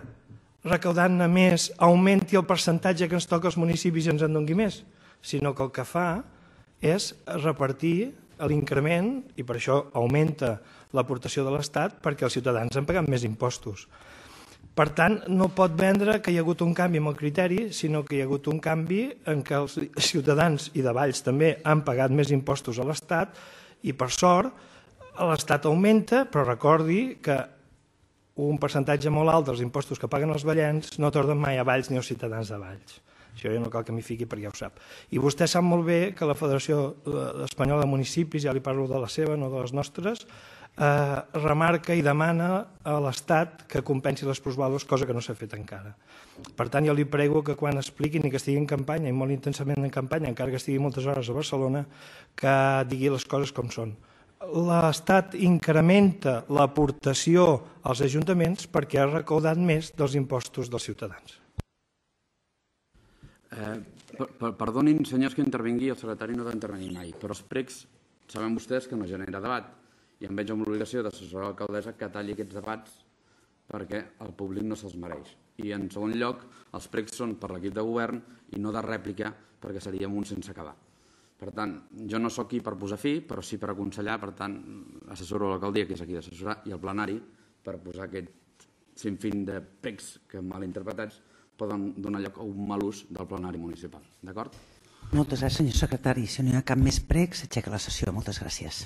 recaudant-ne més augmenti el percentatge que ens toca als municipis i ens en doni més, sinó que el que fa és repartir l'increment i per això augmenta l'aportació de l'Estat perquè els ciutadans han pagat més impostos. Per tant, no pot vendre que hi ha hagut un canvi amb el criteri, sinó que hi ha hagut un canvi en què els ciutadans i de Valls també han pagat més impostos a l'Estat i, per sort, l'Estat augmenta, però recordi que un percentatge molt alt dels impostos que paguen els vallens no tornen mai a Valls ni als ciutadans de Valls. Això ja no cal que m'hi fiqui perquè ja ho sap. I vostè sap molt bé que la Federació Espanyola de Municipis, ja li parlo de la seva, no de les nostres, remarca i demana a l'Estat que compensi les plusvàlues, cosa que no s'ha fet encara. Per tant, jo li prego que quan expliquin i que estigui en campanya, i molt intensament en campanya, encara que estigui moltes hores a Barcelona, que digui les coses com són. L'Estat incrementa l'aportació als ajuntaments perquè ha recaudat més dels impostos dels ciutadans. Perdonin, senyors, que intervingui, el secretari no ha d'intervenir mai, però els precs saben vostès que no genera debat i em veig amb l'obligació d'assessorar l'alcaldessa que talli aquests debats perquè el públic no se'ls mereix. I en segon lloc, els precs són per l'equip de govern i no de rèplica perquè seríem un sense acabar. Per tant, jo no sóc aquí per posar fi, però sí per aconsellar, per tant, assessoro l'alcaldia, que és aquí d'assessorar, i el plenari per posar aquest sinfín de precs que malinterpretats poden donar lloc a un mal ús del plenari municipal. D'acord? Moltes gràcies, senyor secretari. Si no hi ha cap més prec, s'aixeca la sessió. Moltes gràcies.